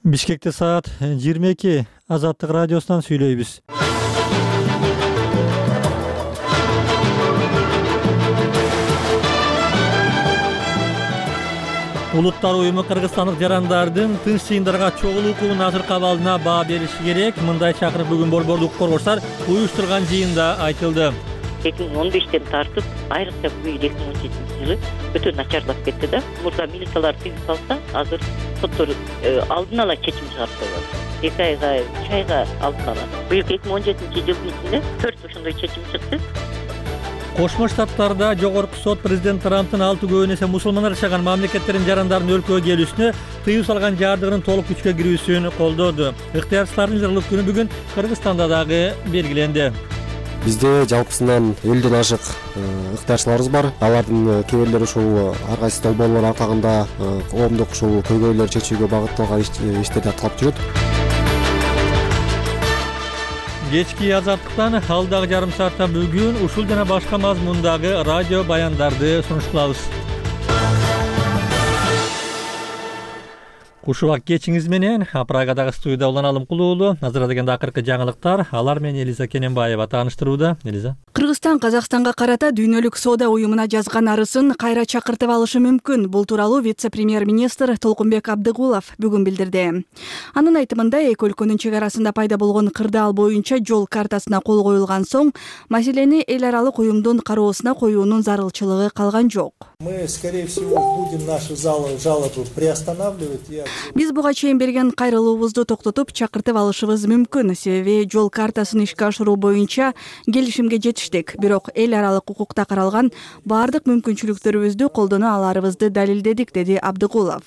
Бишкекте саат 22. Азаттык радиосунан сүйлөйбүз. Улуттар уюму кыргызстандык жарандардын тынч жыйындарга чогулуу укугунун азыркы абалына баа бериши керек. Мындай чакырык бүгүн Борбордук укук коргоочулар уюштурган жыйында айтылды. 2015-тен тартып, айрыкча бул 2017 жылы өтө начарлап кетти да. Мурда милициялар тыйым салса, азыр соттор алдын ала чечим чыгарып коет. 2 айга, 3 айга алдын ала. Быйыл 2017 жылдын ичинде 4 ошондой чечим чыкты. Кошмо Штаттарда жогорку сот президент Трамптын 6 көбүн эсе мусулмандар жашаган мамлекеттердин жарандарын өлкөгө келүүсүнө тыюу салган жардыгынын толук күчкө кирүүсүн колдоду. Ыктыярчылардын жырлык күнү бүгүн Кыргызстанда дагы белгиленди. Бизде жалпысынан 50ден ашык ыктыярчыларыбыз бар. Алардын кээ бирлери ушул ар кайсы долбоорлор атагында коомдук ушул көйгөйлөр чечүүгө багытталган иштерди аткарып жүрөт. Кечки азаттыктан алдагы жарым саатта бүгүн ушул жана башка мазмундагы радио баяндарды сунушталабыз. Кушубак кечиңиз менен Прагадагы студияда Улан Алымкулуу уулу. Азыр дегенде акыркы жаңылыктар. Алар менен Элиза Кененбаева тааныштырууда. Элиза. Кыргызстан Казакстанга карата Дүйнөлүк соода уюмуна жазган арызын кайра чакыртып алышы мүмкүн. Бул тууралуу вице-премьер-министр Толкунбек Абдыгулов бүгүн билдирди. Анын айтымында эки өлкөнүн чек арасында пайда болгон кырдаал боюнча жол картасына кол коюлган соң маселени эл аралык уюмдун кароосуна коюунун зарылчылыгы калган жок. Мы, скорее всего, будем наши жалобы приостанавливать. Биз буга чейин берген кайрылуубузду токтотуп чакыртып алышыбыз мүмкүн. Себеби жол картасын ишке ашыруу боюнча келишимге жетиштик. Бирок эл аралык укукта каралган баардык мүмкүнчүлүктөрүбүздү колдоно аларыбызды далилдедик, деди Абдыгулов.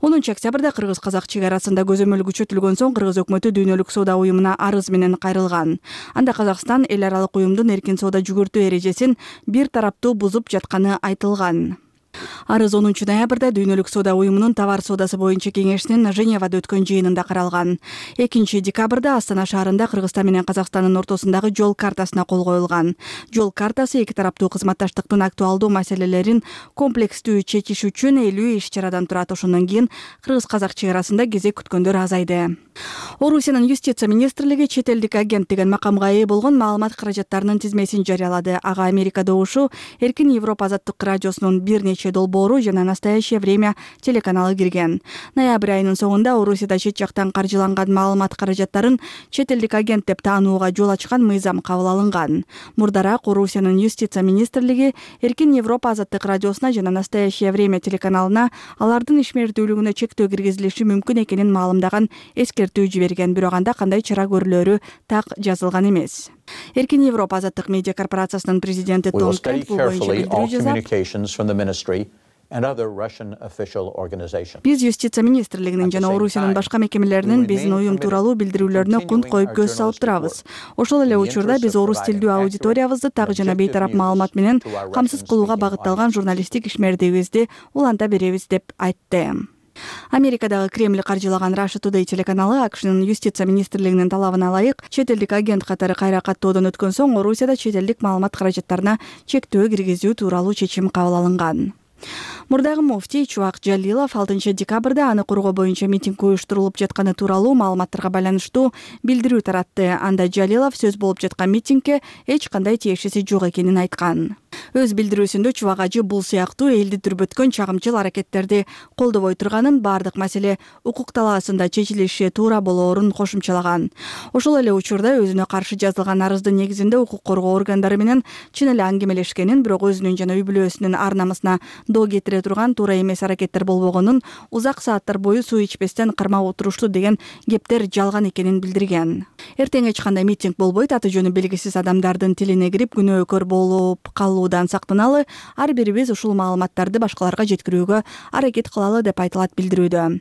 10 октябрда кыргыз-казак чек арасында көзөмөл күчөтүлгөн соң кыргыз өкмөтү Дүйнөлүк соода уюмуна арыз менен кайрылган. Анда Казакстан эл аралык уюмдун эркин соода жүгүртүү эрежесин бир тараптуу бузуп жатканы айтылган. Арыз 10 ноябрда Дүйнөлүк соода уюмунун товар соодасы боюнча кеңешинин Женевада өткөн жыйынында каралган. 2 декабрда Астана шаарында Кыргызстан менен Казакстандын ортосундагы жол картасына кол коюлган. Жол картасы эки тараптуу кызматташтыктын актуалдуу маселелерин комплекстүү чечиш үчүн 50 иш-чарадан турат. Ошондон кийин кыргыз-казак чек арасында кезек күткөндөр азайды. Орусиянын юстиция министрлиги чет элдик агент деген макамга ээ болгон маалымат каражаттарынын тизмесин жарыялады. Ага Америка добушу Эркин Европа азаттык радиосунун бир нече долбоору жана Настоящее время телеканалы кирген. Ноябрь айынын соңунда Орусияда чет жактан каржыланган маалымат каражаттарын чет элдик агент деп таанууга жол ачкан мыйзам кабыл алынган. Мурдараак Орусиянын юстиция министрлиги Эркин Европа азаттык радиосуна жана Настоящее время телеканалына алардын ишмердүүлүгүнө чектөө киргизилиши мүмкүн экенин маалымдаган эскертүү жиберген. Бирок анда кандай чара көрүлөрү так жазылган эмес. Эркин Европа азаттык медиа корпорациясынын президенти Том Кент бул боюнча билдирүү жасап, биз юстиция министрлигинин жана Орусиянын башка мекемелеринин биздин уюм тууралуу билдирүүлөрүнө кунт коюп көз салып турабыз. Ошол эле учурда биз орус тилдүү аудиториябызды так жана бейтарап маалымат менен камсыз кылууга багытталган журналисттик ишмердигибизди уланта беребиз, деп айтты. Америкадагы Кремль каржылаган Russia Today телеканалы АКШнын юстиция министрлигинин талабына ылайык чет элдик агент катары кайра каттоодон өткөн соң Орусияда чет элдик маалымат каражаттарына чектөө киргизүү тууралуу чечим кабыл алынган. Мурдагы муфтий Чубак Жалилов 6 декабрда аны коргоо боюнча митинг уюштурулуп жатканы тууралуу маалыматтарга байланыштуу билдирүү таратты. Анда Жалилов сөз болуп жаткан митингге эч кандай тиешеси жок экенин айткан. Өз билдирүүсүндө Чубак ажы бул сыяктуу элди дүрбөткөн чагымчыл аракеттерди колдобой турганын, бардык маселе укук талаасында чечилиши туура болоорун кошумчалаган. Ошол эле учурда өзүнө каршы жазылган арыздын негизинде укук коргоо органдары менен чын эле аңгемелешкенин, бирок өзүнүн жана үй бүлөсүнүн ар намысына доо кетире турган туура эмес аракеттер болбогонун, узак сааттар бою суу ичпестен кармап отурушту деген кептер жалган экенин билдирген. Эртең эч кандай митинг болбойт, аты жөнү белгисиз адамдардын тилине кирип күнөөкөр болуп калуудан сактаналы, ар бирибиз ушул маалыматтарды башкаларга жеткирүүгө аракет кылалы, деп айтылат билдирүүдө.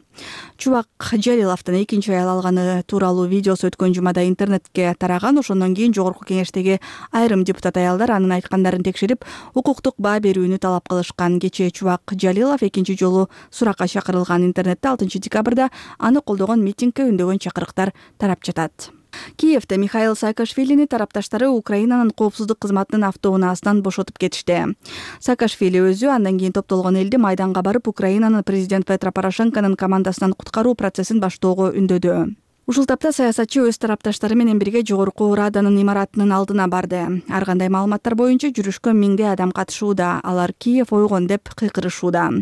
Чубак Жалиловдун 2 аял алганы тууралуу видеосу өткөн жумада интернетке тараган. Ошондон кийин жогорку кеңештеги айрым депутат аялдар анын айткандарын текшерип, укуктук баа берүүнү талап кылышкан. Кечээ Чубак Жалилов 2 жолу суракка чакырылган. Интернетте 6 декабрда аны колдогон митингге үндөгөн чакырыктар тарап жатат. Киевде Михаил Саакашвилини тарапташтары Украинанын коопсуздук кызматынын автоунаасынан бошотуп кетишти. Саакашвили өзү андан кийин топтолгон элди майданга барып, Украинанын президент Петро Порошенконун командасынан куткаруу процессин баштоого үндөдү. Ушул тапта саясатчы өз тарапташтары менен бирге жогорку Раданын имаратынын алдына барды. Ар кандай маалыматтар боюнча жүрүшкө миңдей адам катышууда. Алар Киев ойгон деп кыйкырышууда.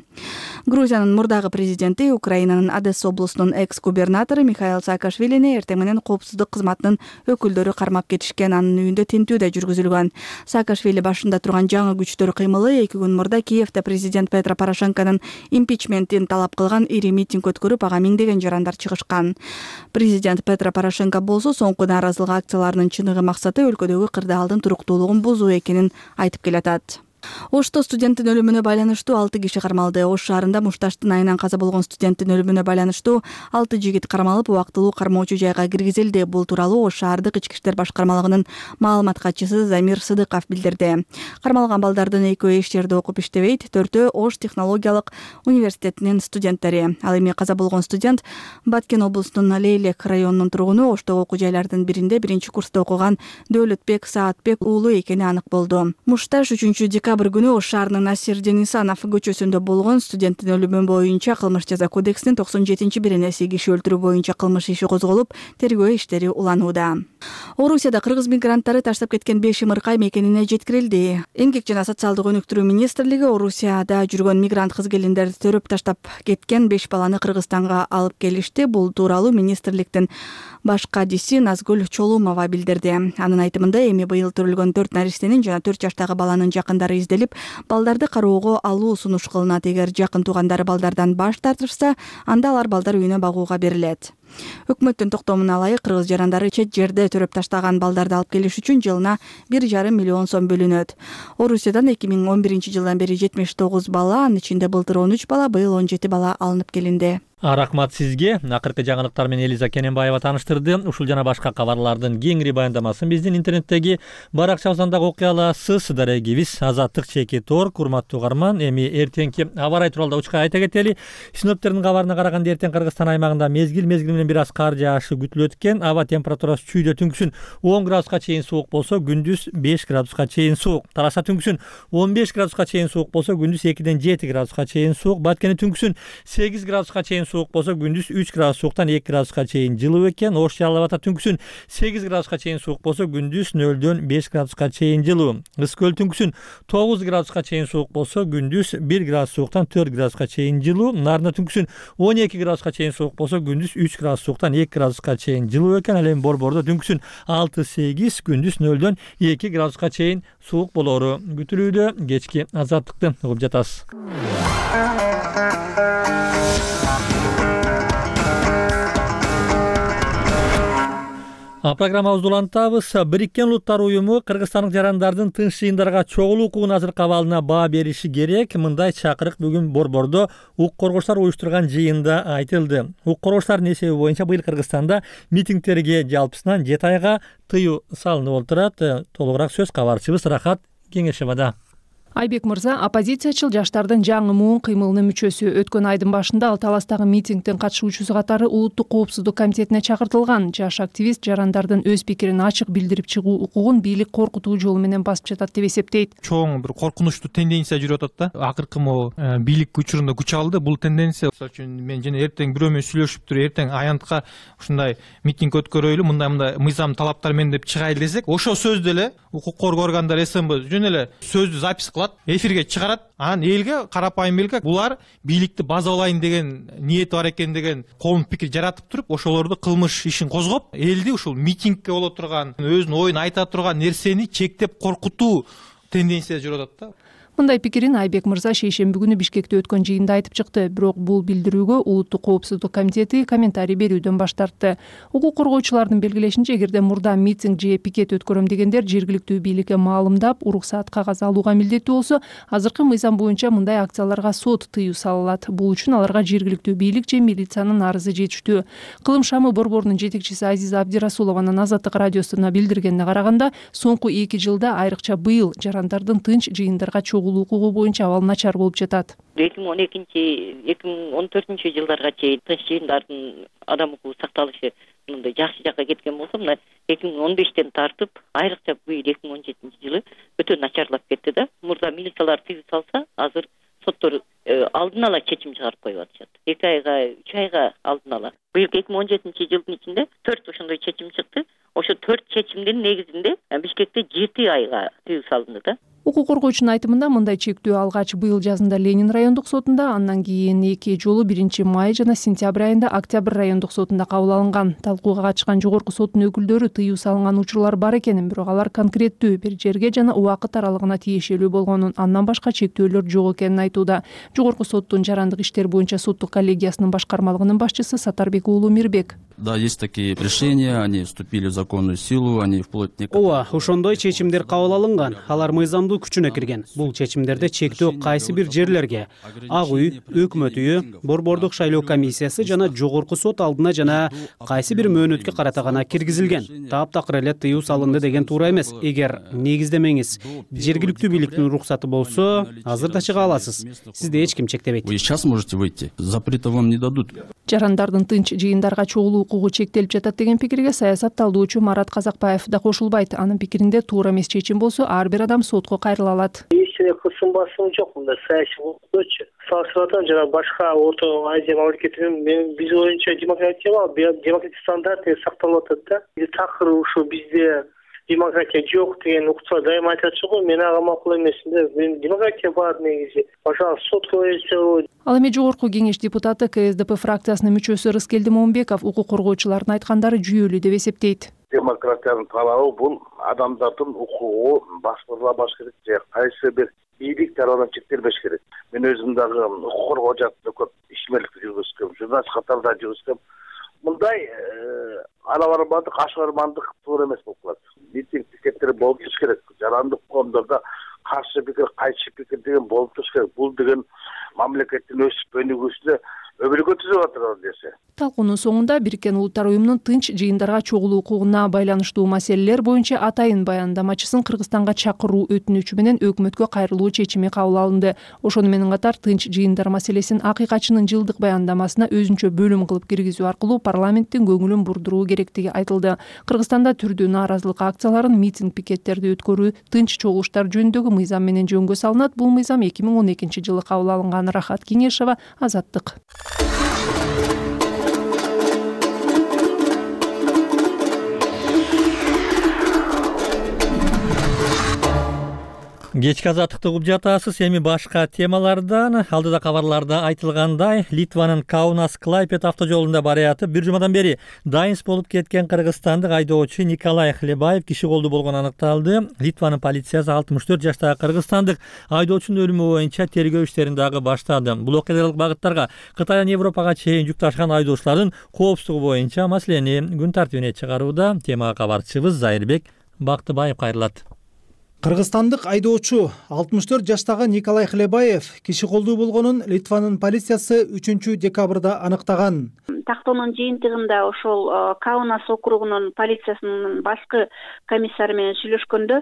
Грузиянын мурдагы президенти, Украинанын Одесса облусунун экс-губернатору Михаил Саакашвилини эртең менен коопсуздук кызматынын өкүлдөрү кармап кетишкен. Анын үйүндө тинтүү да жүргүзүлгөн. Саакашвили башында турган жаңы күчтөр кыймылы 2 күн мурда Киевде президент Петро Порошенконун импичментин талап кылган ири митинг өткөрүп, ага миңдеген жарандар чыгышкан. Президент Петро Порошенко болсо соңку нааразылык акцияларынын чыныгы максаты өлкөдөгү кырдаалдын туруктуулугун бузуу экенин айтып келатат. Ошто студенттин өлүмүнө байланыштуу 6 киши кармалды. Ош шаарында мушташтын айынан каза болгон студенттин өлүмүнө байланыштуу 6 жигит кармалып, убактылуу кармоочу жайга киргизилди. Бул тууралуу Ош шаардык ички иштер башкармалыгынын маалымат катчысы Замир Сыдыков билдирди. Кармалган балдардын 2-өө эч жерде окуп иштебейт, 4-өө Ош технологиялык университетинин студенттери. Ал эми каза болгон студент Баткен облусунун Лейлек районунун тургуну, Оштогу окуу жайлардын биринде 1-курста окуган Дөөлөтбек Саатбек уулу экени анык болду. Мушташ 3-декабрь күнү Ош шаарынын Насир Денисанов көчөсүндө болгон студенттин өлүмү боюнча кылмыш жаза кодексинин 97-беренеси киши өлтүрүү боюнча кылмыш иши козголуп, тергөө иштери уланууда. Орусияда кыргыз мигранттары таштап кеткен 5 ымыркай мекенине жеткирилди. Эмгек жана социалдык өнүктүрүү министрлиги Орусияда жүргөн мигрант кыз-келиндерди төрөп таштап кеткен 5 баланы Кыргызстанга алып келишти. Бул тууралуу министрликтин баш кадиси Назгүл Чолумова билдирди. Анын айтымында эми быйыл төрөлгөн 4 наристенин жана 4 жаштагы баланын жакындары изделип, балдарды кароого алуу сунуш кылынат. Эгер жакын туугандары балдардан баш тартышса, анда алар балдар үйүнө багууга берилет. Өкмөттүн токтомуна ылайык кыргыз жарандары чет жерде төрөп таштаган балдарды алып келиш үчүн жылына 1,5 миллион сом бөлүнөт. Орусиядан 2011-жылдан бери 79 бала, анын ичинде былтыр 13 бала, быйыл 17 бала алынып келинди. Рахмат сизге. Акыркы жаңылыктар менен Элиза Кененбаева таныштырды. Ушул жана башка кабарлардын кеңири баяндамасын биздин интернеттеги баракчабыздан дагы окуй аласыз. Дарегибиз Азаттык _tor. Урматтуу угарман, эми эртеңки аба ырайы тууралуу учка айта кетели. Синоптиктердин кабарына караганда эртең Кыргызстан аймагында мезгил менен бир аз кар жаашы күтүлөт экен. Аба температурасы чүйдө түнкүсүн 10 градуска чейин суук болсо, күндүз 5 градуска чейин суук. Тараша түнкүсүн 15 градуска чейин суук болсо, күндүз 2-ден 7 градуска чейин суук. Баткени түнкүсүн 8 градуска чейин суук болсо, күндүз 3 градус сууктан 2 градуска чейин жылуу экен. Ош Жалал Абадта түнкүсүн 8 градуска чейин суук болсо, күндүз 0-дөн 5 градуска чейин жылуу. Ыс көл түнкүсүн 9 градуска чейин суук болсо, күндүз 1 градус сууктан 4 градуска чейин жылуу. Нарында түнкүсүн 12 градуска чейин суук болсо, күндүз 3 градус сууктан 2 градуска чейин жылуу экен. Ал эми Борбордо түнкүсүн 6-8, күндүз 0-дөн 2 градуска чейин суук болору күтүлүүдө. Кечки азаттыкты угуп жатасыз. Программабызды улантабыз. Бириккен Улуттар уюму кыргызстандык жарандардын тынч жыйындарга чогулуу укугун азыркы абалына баа бериши керек. Мындай чакырык бүгүн Борбордо укук коргоочулар уюштурган жыйында айтылды. Укук коргоочулардын эсеби боюнча быйыл Кыргызстанда митингтерге жалпысынан 7 айга тыюу салынып отурат. Толугураак сөз кабарчыбыз Рахат Кеңешевада. Айбек мырза оппозициячыл жаштардын жаңы муун кыймылынын мүчөсү. Өткөн айдын башында ал Таластагы митингдин катышуучусу катары Улуттук коопсуздук комитетине чакыртылган. Жаш активист жарандардын өз пикирин ачык билдирип чыгуу укугун бийлик коркутуу жолу менен басып жатат деп эсептейт. Чоң бир коркунучтуу тенденция жүрүп атат да. Акыркы бийлик учурунда күч алды. Бул тенденция, мисалы үчүн мен жана эртең бирөө менен сүйлөшүп туруп, эртең аянтка ушундай митинг өткөрөйлү, мындай мыйзам талаптар менен деп чыгайлы десек, ошол сөздү эле укук коргоо органдары СМБ жөн эле сөздү запись эфирге чыгарат, анан элге, карапайым элге булар бийликти базалайын деген ниети бар экен деген коомдук пикир жаратып туруп, ошолорду кылмыш ишин козгоп, элди ушул митингке боло турган, өзүнүн оюн айта турган нерсени чектеп коркутуу тенденция жүрүп атат да. Мындай пикирин Айбек мырза шейшемби күнү Бишкекте өткөн жыйында айтып чыкты. Бирок бул билдирүүгө Улуттук коопсуздук комитети комментарий берүүдөн баш тартты. Укук коргоочулардын белгилешинче, эгерде мурда митинг же пикет өткөрөм дегендер жергиликтүү бийликке маалымдап, уруксаат кагаз алууга милдеттүү болсо, азыркы мыйзам боюнча мындай акцияларга сот тыюу салынат. Бул үчүн аларга жергиликтүү бийлик же милициянын арызы жетиштүү. Кылым шамы борборунун жетекчиси Азиза Абдирасулованын Азаттык радиосуна билдиргенине караганда, соңку 2 жылда, айрыкча быйыл, жарандардын тынч жыйындарга чогулуу укугу боюнча абал начар болуп жатат. 2012-2014 жылдарга чейин тынч жыйындардын адам укугу сакталышы мындай жакшы жакка кеткен болсо, мына 2015-тен тартып айрыкча быйыл 2017 жылы өтө начарлап кетти да. Мурда милициялар тыюу салса, азыр соттор алдын ала чечим чыгарып коюп атышат. 2 айга, 3 айга алдын ала. Быйыл 2017 жылдын ичинде 4 ошондой чечим чыкты. Ошо 4 чечимдин негизинде Бишкекте 7 айга тыюу салынды да. Укук коргоочунун айтымында мындай чектөө алгач быйыл жазында Ленин райондук сотунда, андан кийин 2 жолу 1 май жана сентябрь айында Октябрь райондук сотунда кабыл алынган. Талкууга катышкан жогорку соттун өкүлдөрү тыюу салынган учурлар бар экенин, бирок алар конкреттүү бир жерге жана убакыт аралыгына тиешелүү болгонун, андан башка чектөөлөр жок экенин айтууда. Жогорку соттун жарандык иштер боюнча соттук коллегиясынын башкармалыгынын башчысы Сатарбек уулу Мирбек. Да, есть такие решения, они вступили в законную силу, они вплоть Ооба, ошондой чечимдер кабыл алынган. Алар мыйзамдуу күчүнө кирген. Бул чечимдерде чектөө кайсы бир жерлерге Ак үй, Өкмөт үйү, Борбордук шайлоо комиссиясы жана жогорку сот алдына жана кайсы бир мөөнөткө карата гана киргизилген. Таптакыр эле тыюу салынды деген туура эмес. Эгер негиздемеңиз жергиликтүү бийликтин уруксаты болсо, азыр да чыга аласыз. Сизди эч ким чектебейт. Вы сейчас можете выйти, запрета вам не дадут. Жарандардын тынч жыйындарга чогулуу укугу чектелип жатат деген пикирге саясат талдоочу Марат Казакбаев да кошулбайт. Анын пикиринде туура эмес чечим болсо, ар бир адам сотко кайрыла алат. Эч кысым басым жок мында саясий болчу. Салыштырганда жана башка Орто Азия мамлекеттеринин биз боюнча демократик стандарт сакталып атат да. Такыр ушу бизде демократия жок деген укчулар дайыма айтачу го. Мен ага макул эмес. Мен демократия бар негизи. Пожалуйста, сотко берсе. Ал эми жогорку кеңеш депутаты КСДП фракциясынын мүчөсү Рыскелди Момбеков укук коргоочулардын айткандары жүйөлүү деп эсептейт. Демократиянын талабы бул адамдардын укугу баштырыла керек же кайсы бир бийлик тарабынан чектелбеш керек. Мен өзүм дагы укук коргоо жаатында көп ишмерликти жүргүзгөм, журналист катарында жүргүзгөм. Мындай ала барбандык, ашкармандык туура эмес болуп калат. Митинг пикеттер болуп туруш керек. Жарандык коомдордо каршы пикир, кайшы пикир деген болуп туруш керек. Бул деген мамлекеттин өсүп өнүгүүсүнө өбөлгө түзүп атат десе. Талкуунун соңунда Бириккен Улуттар уюмунун тынч жыйындарга чогулуу укугуна байланыштуу маселелер боюнча атайын баяндамачысын Кыргызстанга чакыруу өтүнүчү менен өкмөткө кайрылуу чечими кабыл алынды. Ошону менен катар тынч жыйындар маселесин акыйкатчынын жылдык баяндамасына өзүнчө бөлүм кылып киргизүү аркылуу парламенттин көңүлүн бурдуруу керектиги айтылды. Кыргызстанда түрдүү нааразылык акцияларын, митинг пикеттерди өткөрүү, тынч чогулуштар жөнүндөгү мыйзам менен жөнгө салынат. Бул мыйзам 2012 жылы кабыл алынган. Рахат Кеңешова, Азаттык. Кечки Азаттыкты угуп жатасыз. Эми башка темалардан алдыда кабарларда айтылгандай, Литванын Каунас-Клайпед автожолунда бараятып, бир жумадан бери дайынс болуп кеткен кыргызстандык айдоочу Николай Хлебаев киши колдуу болгону аныкталды. Литванын полициясы 64 жаштагы кыргызстандык айдоочунун өлүмү боюнча тергөө иштерин дагы баштады. Бул окуялык багыттарга Кытайдан Европага чейин жүк ташыган айдоочулардын коопсуздугу боюнча маселени күн тартибине чыгарууда. Темага кабарчыбыз Зайырбек Бактыбаев кайрылат. Кыргызстандык айдоочу 64 жаштагы Николай Хлебаев киши колдуу болгонун Литванын полициясы 3 декабрда аныктаган. Тактоонун жыйынтыгында ошол Каунас округунун полициясынын башкы комиссары менен сүйлөшкөндө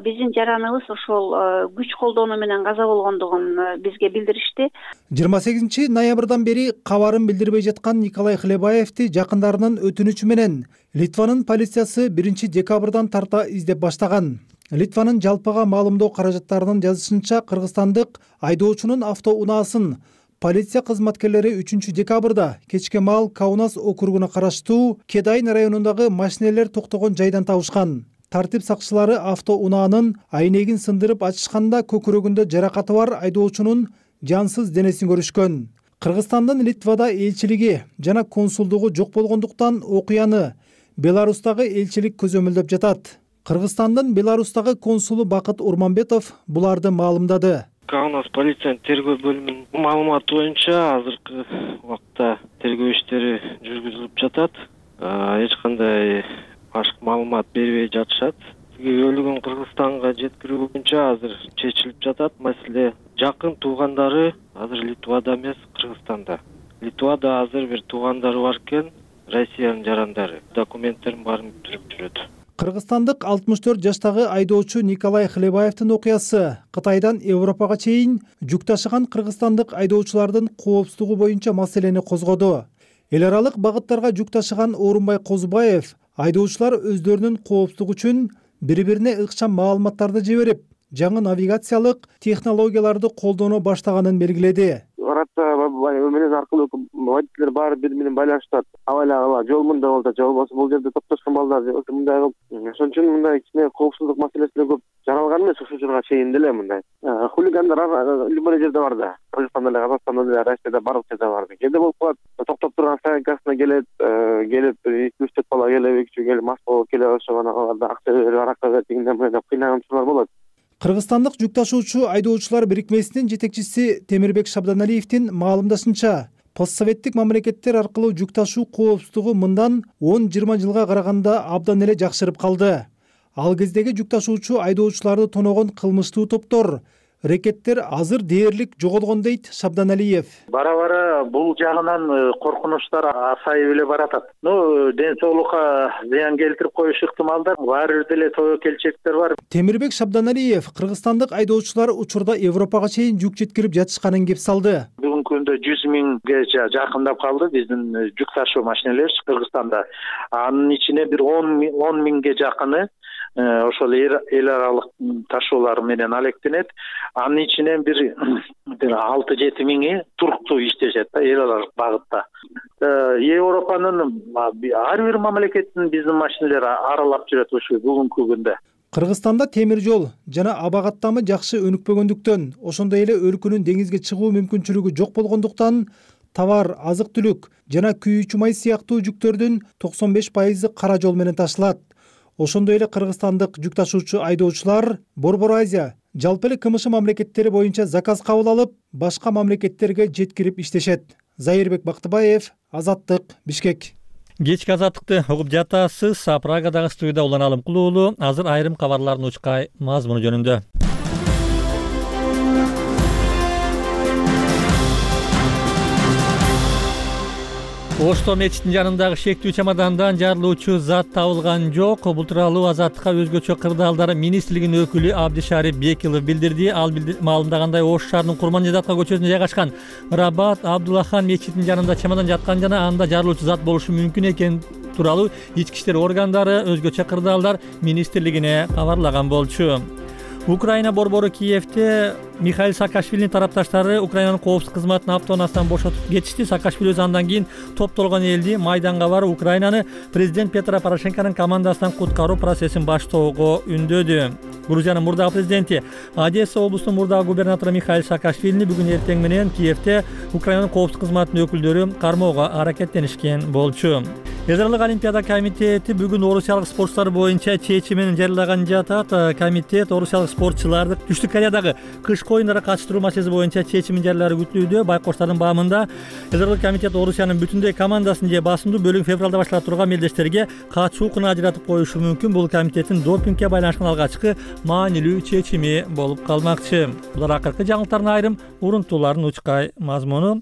биздин жараныбыз ошол күч колдонуу менен каза болгондугун бизге билдиришти. 28 ноябрдан бери кабарын билдирбей жаткан Николай Хлебаевти жакындарынын өтүнүчү менен Литванын полициясы 1 декабрдан тарта издеп баштаган. Литванын жалпыга маалымдоо каражаттарынын жазышынча, кыргызстандык айдоочунун автоунаасын полиция кызматкерлери 3 декабрда кечке маал Каунас округуна караштуу Кедайн районундагы машинелер токтогон жайдан табышкан. Тартип сакчылары автоунаанын айнегин сындырып ачышканда көкүрөгүндө жаракаты бар айдоочунун жансыз денесин көрүшкөн. Кыргызстандын Литвада элчилиги жана консулдугу жок болгондуктан окуяны Беларустагы элчилик көзөмөлдөп жатат. Кыргызстандын Беларустагы консулу Бакыт Урманбетов буларды маалымдады. Каунас полициянын тергөө бөлүмүнүн маалыматы боюнча азыркы убакта тергөө иштери жүргүзүлүп жатат. Эч кандай башка маалымат бербей жатышат. Өлүгүн Кыргызстанга жеткирүү боюнча азыр чечилип жатат. Маселе жакын туугандары азыр Литвада эмес, Кыргызстанда. Литвада азыр бир туугандары бар экен, Россиянын жарандары. Документтерин баарын бүтүрүп жүрөт. Кыргызстандык 64 жаштагы айдоочу Николай Хлебаевдин окуясы Кытайдан Европага чейин жүк ташыган кыргызстандык айдоочулардын коопсуздугу боюнча маселени козгоду. Эл аралык багыттарга жүк ташыган Орунбай Козубаев айдоочулар өздөрүнүн коопсуздугу үчүн бири-бирине ыкчам маалыматтарды жиберип, жаңы навигациялык технологияларды колдоно баштаганын белгиледи. Арабча менен аркылуу водительдер баары бири менен байланышат. Абайла жол мындай болду, же болбосо бул жерде топтошкон балдар мындай кылып, ошон үчүн мындай кичине коопсуздук маселеси деле көп жаралган эмес ушул учурга чейин деле мындай. Хулигандар любой жерде бар да. Кыргызстанда эле, Казакстанда эле, Россияда барлык жерде бар. Кээде болуп калат, токтоп турган стоянкасына келет 2-3 бала келип, 2 келип мас болуп келе ошо аналарда акча берип, аракка бер дегенден менен кыйнаган учурлар болот. Кыргызстандык жүк ташуучу айдоочулар бирикмесинин жетекчиси Темирбек Шабданалиевдин маалымдашынча, постсоветтик мамлекеттер аркылуу жүк ташуу коопсуздугу мындан 10-20 жылга караганда абдан эле жакшырып калды. Ал кездеги жүк ташуучу айдоочуларды тоногон кылмыштуу топтор, рекеттер азыр дээрлик жоголгон дейт Шабданалиев. Бара-бара бул жагынан коркунучтар азайып эле баратат. Ден соолукка зыян келтирип коюш ыктымалдар баары бир деле тобокелчектер бар. Темирбек Шабданалиев кыргызстандык айдоочулар учурда Европага чейин жүк жеткирип жатышканын кеп салды. Бүгүнкү күндө 100 миңге жакындап калды биздин жүк ташуу машинелер Кыргызстанда. Анын ичине бир 10 миңге жакыны ошол эл аралык ташуулар менен алектенет. Анын ичинен бир 6-7 миңи туруктуу иштешет да эл аралык багытта. Европанын ар бир мамлекетин биздин машинелер аралап жүрөт ушу бүгүнкү күндө. Кыргызстанда темир жол жана аба каттамы жакшы өнүкпөгөндүктөн, ошондой эле өлкөнүн деңизге чыгуу мүмкүнчүлүгү жок болгондуктан товар, азык-түлүк жана күйүүчү май сыяктуу жүктөрдүн 95% кара жол менен ташылат. Ошондой эле кыргызстандык жүк ташуучу айдоочулар Борбор Азия, жалпы эле КМШ мамлекеттери боюнча заказ кабыл алып, башка мамлекеттерге жеткирип иштешет. Зайырбек Бактыбаев, Азаттык, Бишкек. Кечки азаттыкты угуп жатасыз. Прагадагы студияда Улан Алымкул уулу. Азыр айрым кабарлардын учкай мазмуну жөнүндө. Ошто мечиттин жанындагы шектүү чамадандан жарылуучу зат табылган жок. Бул тууралуу Азаттыкка өзгөчө кырдаалдар министрлигинин өкүлү Абдишарип Бекилов билдирди. Ал маалымдагандай Ош шаарынын Курманжайдатка көчөсүндө жайгашкан Рабат Абдуллахан мечитинин жанында чамадан жаткан жана анда жарылуучу зат болушу мүмкүн экен тууралуу ички иштер органдары өзгөчө кырдаалдар министрлигине кабарлаган болчу. Украина борбору Киевде Михаил Саакашвилинин тарапташтары Украинанын коопсуздук кызматынын автоунаасынан бошотуп кетишти. Саакашвили өз андан кийин топтолгон элди майданга барып Украинаны президент Петро Порошенконун командасынан куткаруу процессин баштоого үндөдү. Грузиянын мурдагы президенти Одесса облусунун мурдагы губернатору Михаил Саакашвилини бүгүн эртең менен Киевде Украинанын коопсуздук кызматынын өкүлдөрү кармоого аракеттенишкен болчу. Эзралык олимпиада комитети бүгүн орусиялык спортчулар боюнча чечимин жарыялаган жатат. Комитет орусиялык спортчуларды Түштүк Кореядагы кышкы оюндарга катыштыруу маселеси боюнча чечимин жарыялаары күтүлүүдө. Байкоштардын баамында Эзралык комитет Орусиянын бүтүндөй командасын же басымдуу бөлүгүн февралда баштала турган мелдештерге катышуу укугун ажыратып коюшу мүмкүн. Бул комитеттин допингге байланышкан алгачкы маанилүү чечими болуп калмакчы. Булар акыркы жаңылыктардын айрым урунтууларынын учкай мазмуну.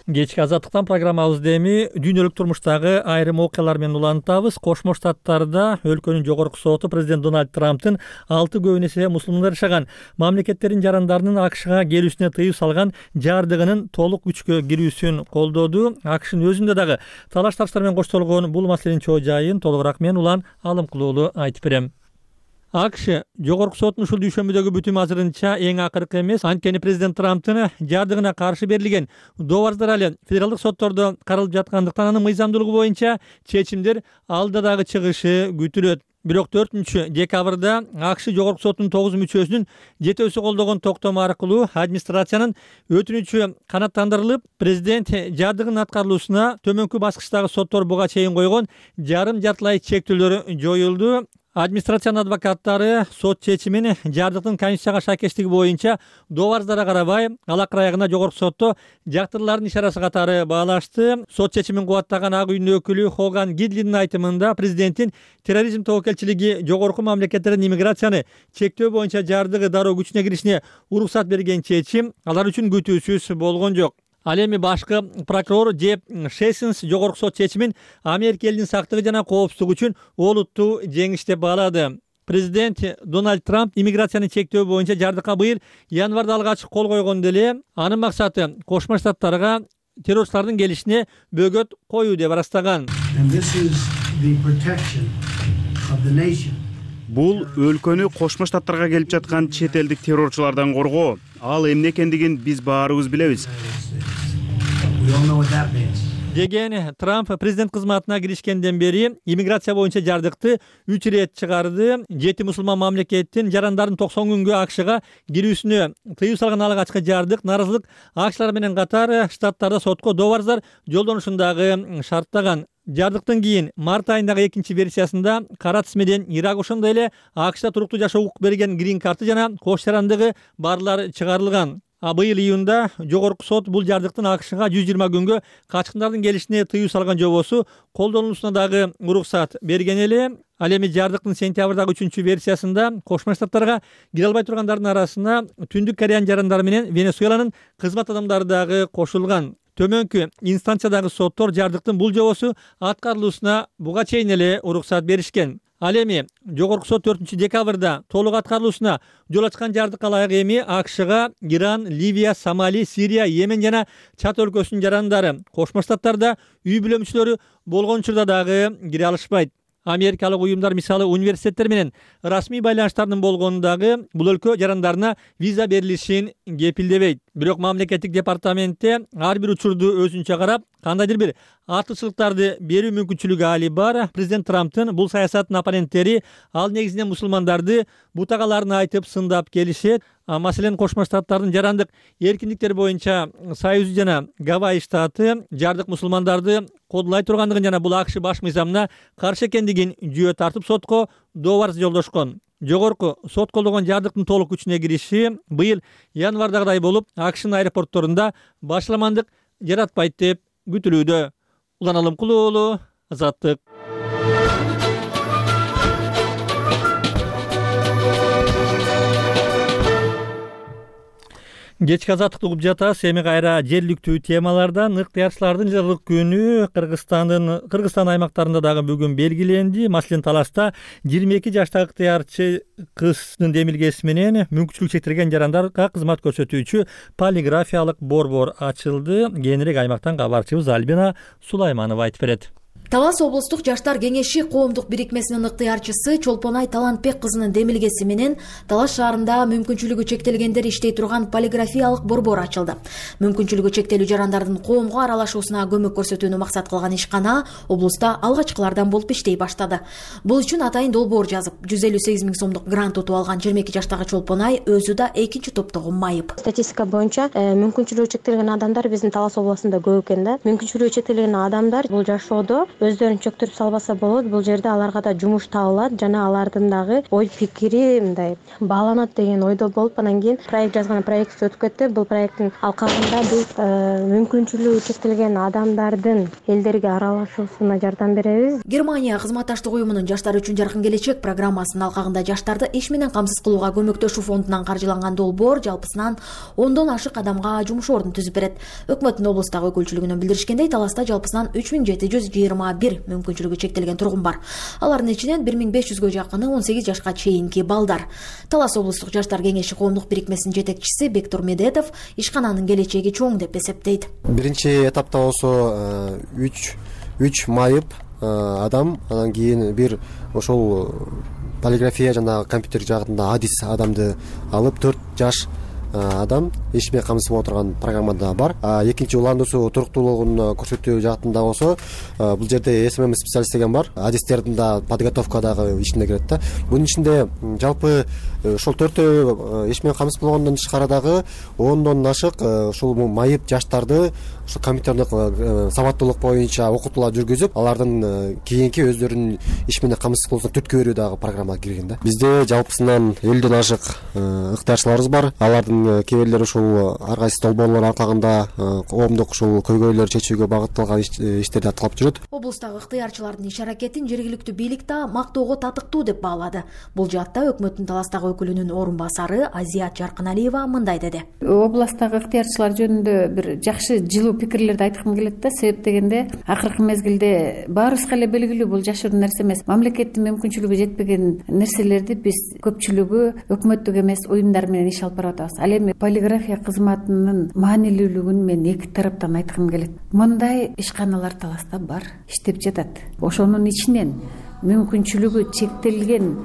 Кечки азаттыктан программабызды эми дүйнөлүк турмуштагы айрым окуялар менен улантабыз. Кошмо Штаттарда өлкөнүн жогорку соту президент Дональд Трамптын 6 көбүн эсе мусулмандар жашаган мамлекеттердин жарандарынын АКШга келүүсүнө тыюу салган жардыгынын толук күчкө кирүүсүн колдоду. АКШнын өзүндө дагы талаш-тартыштар менен коштолгон бул маселенин чоо жайын толугураак мен Улан Алымкул уулу айтып берем. АКШ жогорку соттун ушул дүйшөмбүдөгү бүтүмү азырынча эң акыркы эмес. Анткени президент Трамптын жардыгына каршы берилген добардар али федералдык соттордо каралып жаткандыктан анын мыйзамдуулугу боюнча чечимдер алда дагы чыгышы күтүлөт. Бирок 4-декабрда АКШ жогорку соттун 9 мүчөсүнүн жетөөсү колдогон токтому аркылуу администрациянын өтүнүчү канааттандырылып, президент жардыгынын аткарылуусуна төмөнкү баскычтагы соттор буга чейин койгон жарым-жартылай чектөөлөр жоюлду. Администрациянын адвокаттары сот чечимин жардыктын конституцияга шайкештиги боюнча добардарга карабай алакыр аягына жогорку сотто жактырылардын ишарасы катары баалашты. Сот чечимин кубаттаган Ак үйдүн өкүлү Хоган Гидлинин айтымында президенттин терроризм тобокелчилиги жогорку мамлекеттердин иммиграцияны чектөө боюнча жардыгы дароо күчүнө киришине уруксат берген чечим алар үчүн күтүүсүз болгон жок. Ал эми башкы прокурор Джеф Сессинс жогорку сот чечимин Америка элинин сактыгы жана коопсуздугу үчүн олуттуу жеңиш деп баалады. Президент Дональд Трамп иммиграцияны чектөө боюнча жардыкка быйыл январда алгач кол койгондо эле анын максаты Кошмо Штаттарга террорчулардын келишине бөгөт коюу деп ырастаган. Бул өлкөнү Кошмо Штаттарга келип жаткан чет элдик террорчулардан коргоо. Ал эмне экендигин биз баарыбыз билебиз. Деген Трамп президент кызматына киришкенден бери иммиграция боюнча жардыкты 3 ирет чыгарды. 7 мусулман мамлекеттин жарандарын 90 күнгө АКШга кирүүсүнө тыюу салган алгачкы жардык наразылык акчалар менен катар штаттарда сотко добарзар жолдонушундагы шарттаган. Жардыктан кийин март айындагы 2 версиясында кара тизмеден Ирак ошондой эле АКШда туруктуу жашоо укук берген грин карты жана кош жарандыгы барлар чыгарылган. Быйыл июнда жогорку сот бул жардыктын АКШга 120 күнгө качкындардын келишине тыюу салган жобосу колдонулушуна дагы уруксат берген эле. Ал эми жардыктын сентябрдагы 3 версиясында Кошмо Штаттарга кире албай тургандардын арасына Түндүк Кореянын жарандары менен Венесуэланын кызмат адамдары дагы кошулган. Төмөнкү инстанциядагы соттор жардыктын бул жобосу аткарылуусуна буга чейин эле уруксат беришкен. Ал эми жогорку сот 4 декабрда толук аткарылуусуна жол ачкан жардыкка ылайык эми АКШга Иран, Ливия, Сомали, Сирия, Йемен жана Чад өлкөсүнүн жарандары Кошмо Штаттарда үй бүлө мүчөлөрү болгон учурда дагы кире алышпайт. Америкалык уюмдар мисалы университеттер менен расмий байланыштардын болгонундагы бул өлкө жарандарына виза берилишин кепилдебейт. Бирок мамлекеттик департаментте ар бир учурду өзүнчө карап, кандайдыр бир артыкчылыктарды берүү мүмкүнчүлүгү али бар. Президент Трамптын бул саясаттын оппоненттери ал негизинен мусулмандарды бутагаларын айтып сындап келишет. Маселен, Кошмо Штаттардын жарандык эркиндиктери боюнча Союзу жана Гавайи штаты жардык мусулмандарды кодулай тургандыгын жана бул АКШ баш мыйзамына каршы экендигин жүйө тартып сотко добарс жолдошкон. Жогорку сот колдогон жардыктын толук күчүнө кириши быйыл январдагыдай болуп, АКШнын аэропортторунда башаламандык жаратпайт деп күтүлүүдө. Улан Алымкулуу уулу, Азаттык. Кечки азаттыкты угуп жатасыз. Эми кайра жергиликтүү темалардан ыктыярчылардын жылдык күнү Кыргызстан аймактарында дагы бүгүн белгиленди. Маселен, Таласта 22 жаштагы ыктыярчы кыздын демилгеси менен мүмкүнчүлүгү чектелген жарандарга кызмат көрсөтүүчү полиграфиялык борбор ачылды. Кийинирээк аймактан кабарчыбыз Альбина Сулайманова айтып берет. Талас облустук жаштар кеңеши коомдук бирикмесинин ыктыярчысы Чолпонай Талантбек кызынын демилгеси менен Талас шаарында мүмкүнчүлүгү чектелгендер иштей турган полиграфиялык борбор ачылды. Мүмкүнчүлүгү чектелүү жарандардын коомго аралашуусуна көмөк көрсөтүүнү максат кылган ишкана облуста алгачкылардан болуп иштей баштады. Бул үчүн атайын долбоор жазып, 158 000 сомдук грант утуп алган 22 жаштагы Чолпонай өзү да экинчи топтогу майып. Статистика боюнча мүмкүнчүлүгү чектелген адамдар биздин Талас областында көп экен да. Мүмкүнчүлүгү чектелген адамдар бул жашоодо өздөрүн чөктүрүп салбаса болот. Бул жерде аларга да жумуш табылат жана алардын дагы ой пикири мындай бааланат деген ойдо болуп, анан кийин проект жазган проект өтүп кетти. Бул проекттин алкагында биз мүмкүнчүлүгү чектелген адамдардын элдерге аралашуусуна жардам беребиз. Германия кызматташтык уюмунун жаштар үчүн жаркын келечек программасынын алкагында жаштарды иш менен камсыз кылууга көмөктөшүү фондунан каржыланган долбоор жалпысынан 10дон ашык адамга жумуш ордун түзүп берет. Өкмөттүн облустагы өкүлчүлүгүнөн билдиришкендей, Таласта жалпысынан 3721 мүмкүнчүлүгү чектелген тургун бар. Алардын ичинен 1500гө жакыны 18 жашка чейинки балдар. Талас облустук жаштар кеңеши коомдук бирикмесинин жетекчиси Бектур Медетов ишкананын келечеги чоң деп эсептейт. Биринчи этапта болсо 3 майып адам, анан кийин бир ошол полиграфия жана компьютер жагында адис адамды алып 4 жаш адам иш менен камсыз боло турган программада бар. Экинчи уландуусу туруктуулугун көрсөтүү жаатында болсо бул жерде СММ специалист деген бар. Адистердин да подготовка дагы ишине кирет да. Бунун ичинде жалпы ошол 4 иш менен камсыз болгондон тышкары дагы 10дон ашык ушул майып жаштарды ушу компьютердик сабаттуулук боюнча окутуулар жүргүзүп, алардын кийинки өздөрүнүн иш менен камсыз кылуусун түрткү берүү дагы программага кирген да. Бизде жалпысынан 50ден ашык ыктыярчыларыбыз бар. Алардын кээ бирлери ушул ар кайсы долбоорлор аркагында коомдук ушул көйгөйлөрдү чечүүгө багытталган иштерди аткылап жүрөт. Облустагы ыктыярчылардын иш аракетин жергиликтүү бийлик да мактоого татыктуу деп баалады. Бул жаатта өкмөттүн Таластагы өкүлүнүн орун басары Азият Жаркыналиева мындай деди. Областагы ыктыярчылар жөнүндө бир жакшы жылуу пикирлерди айткым келет да. Себеп дегенде акыркы мезгилде баарыбызга эле белгилүү, бул жашыруун нерсе эмес. Мамлекеттин мүмкүнчүлүгү жетпеген нерселерди биз көпчүлүгү өкмөттүк эмес уюмдар менен иш алып барып атабыз. Ал эми полиграфия кызматынын маанилүүлүгүн мен эки тараптан айткым келет. Мындай ишканалар Таласта бар, иштеп жатат. Ошонун ичинен мүмкүнчүлүгү чектелген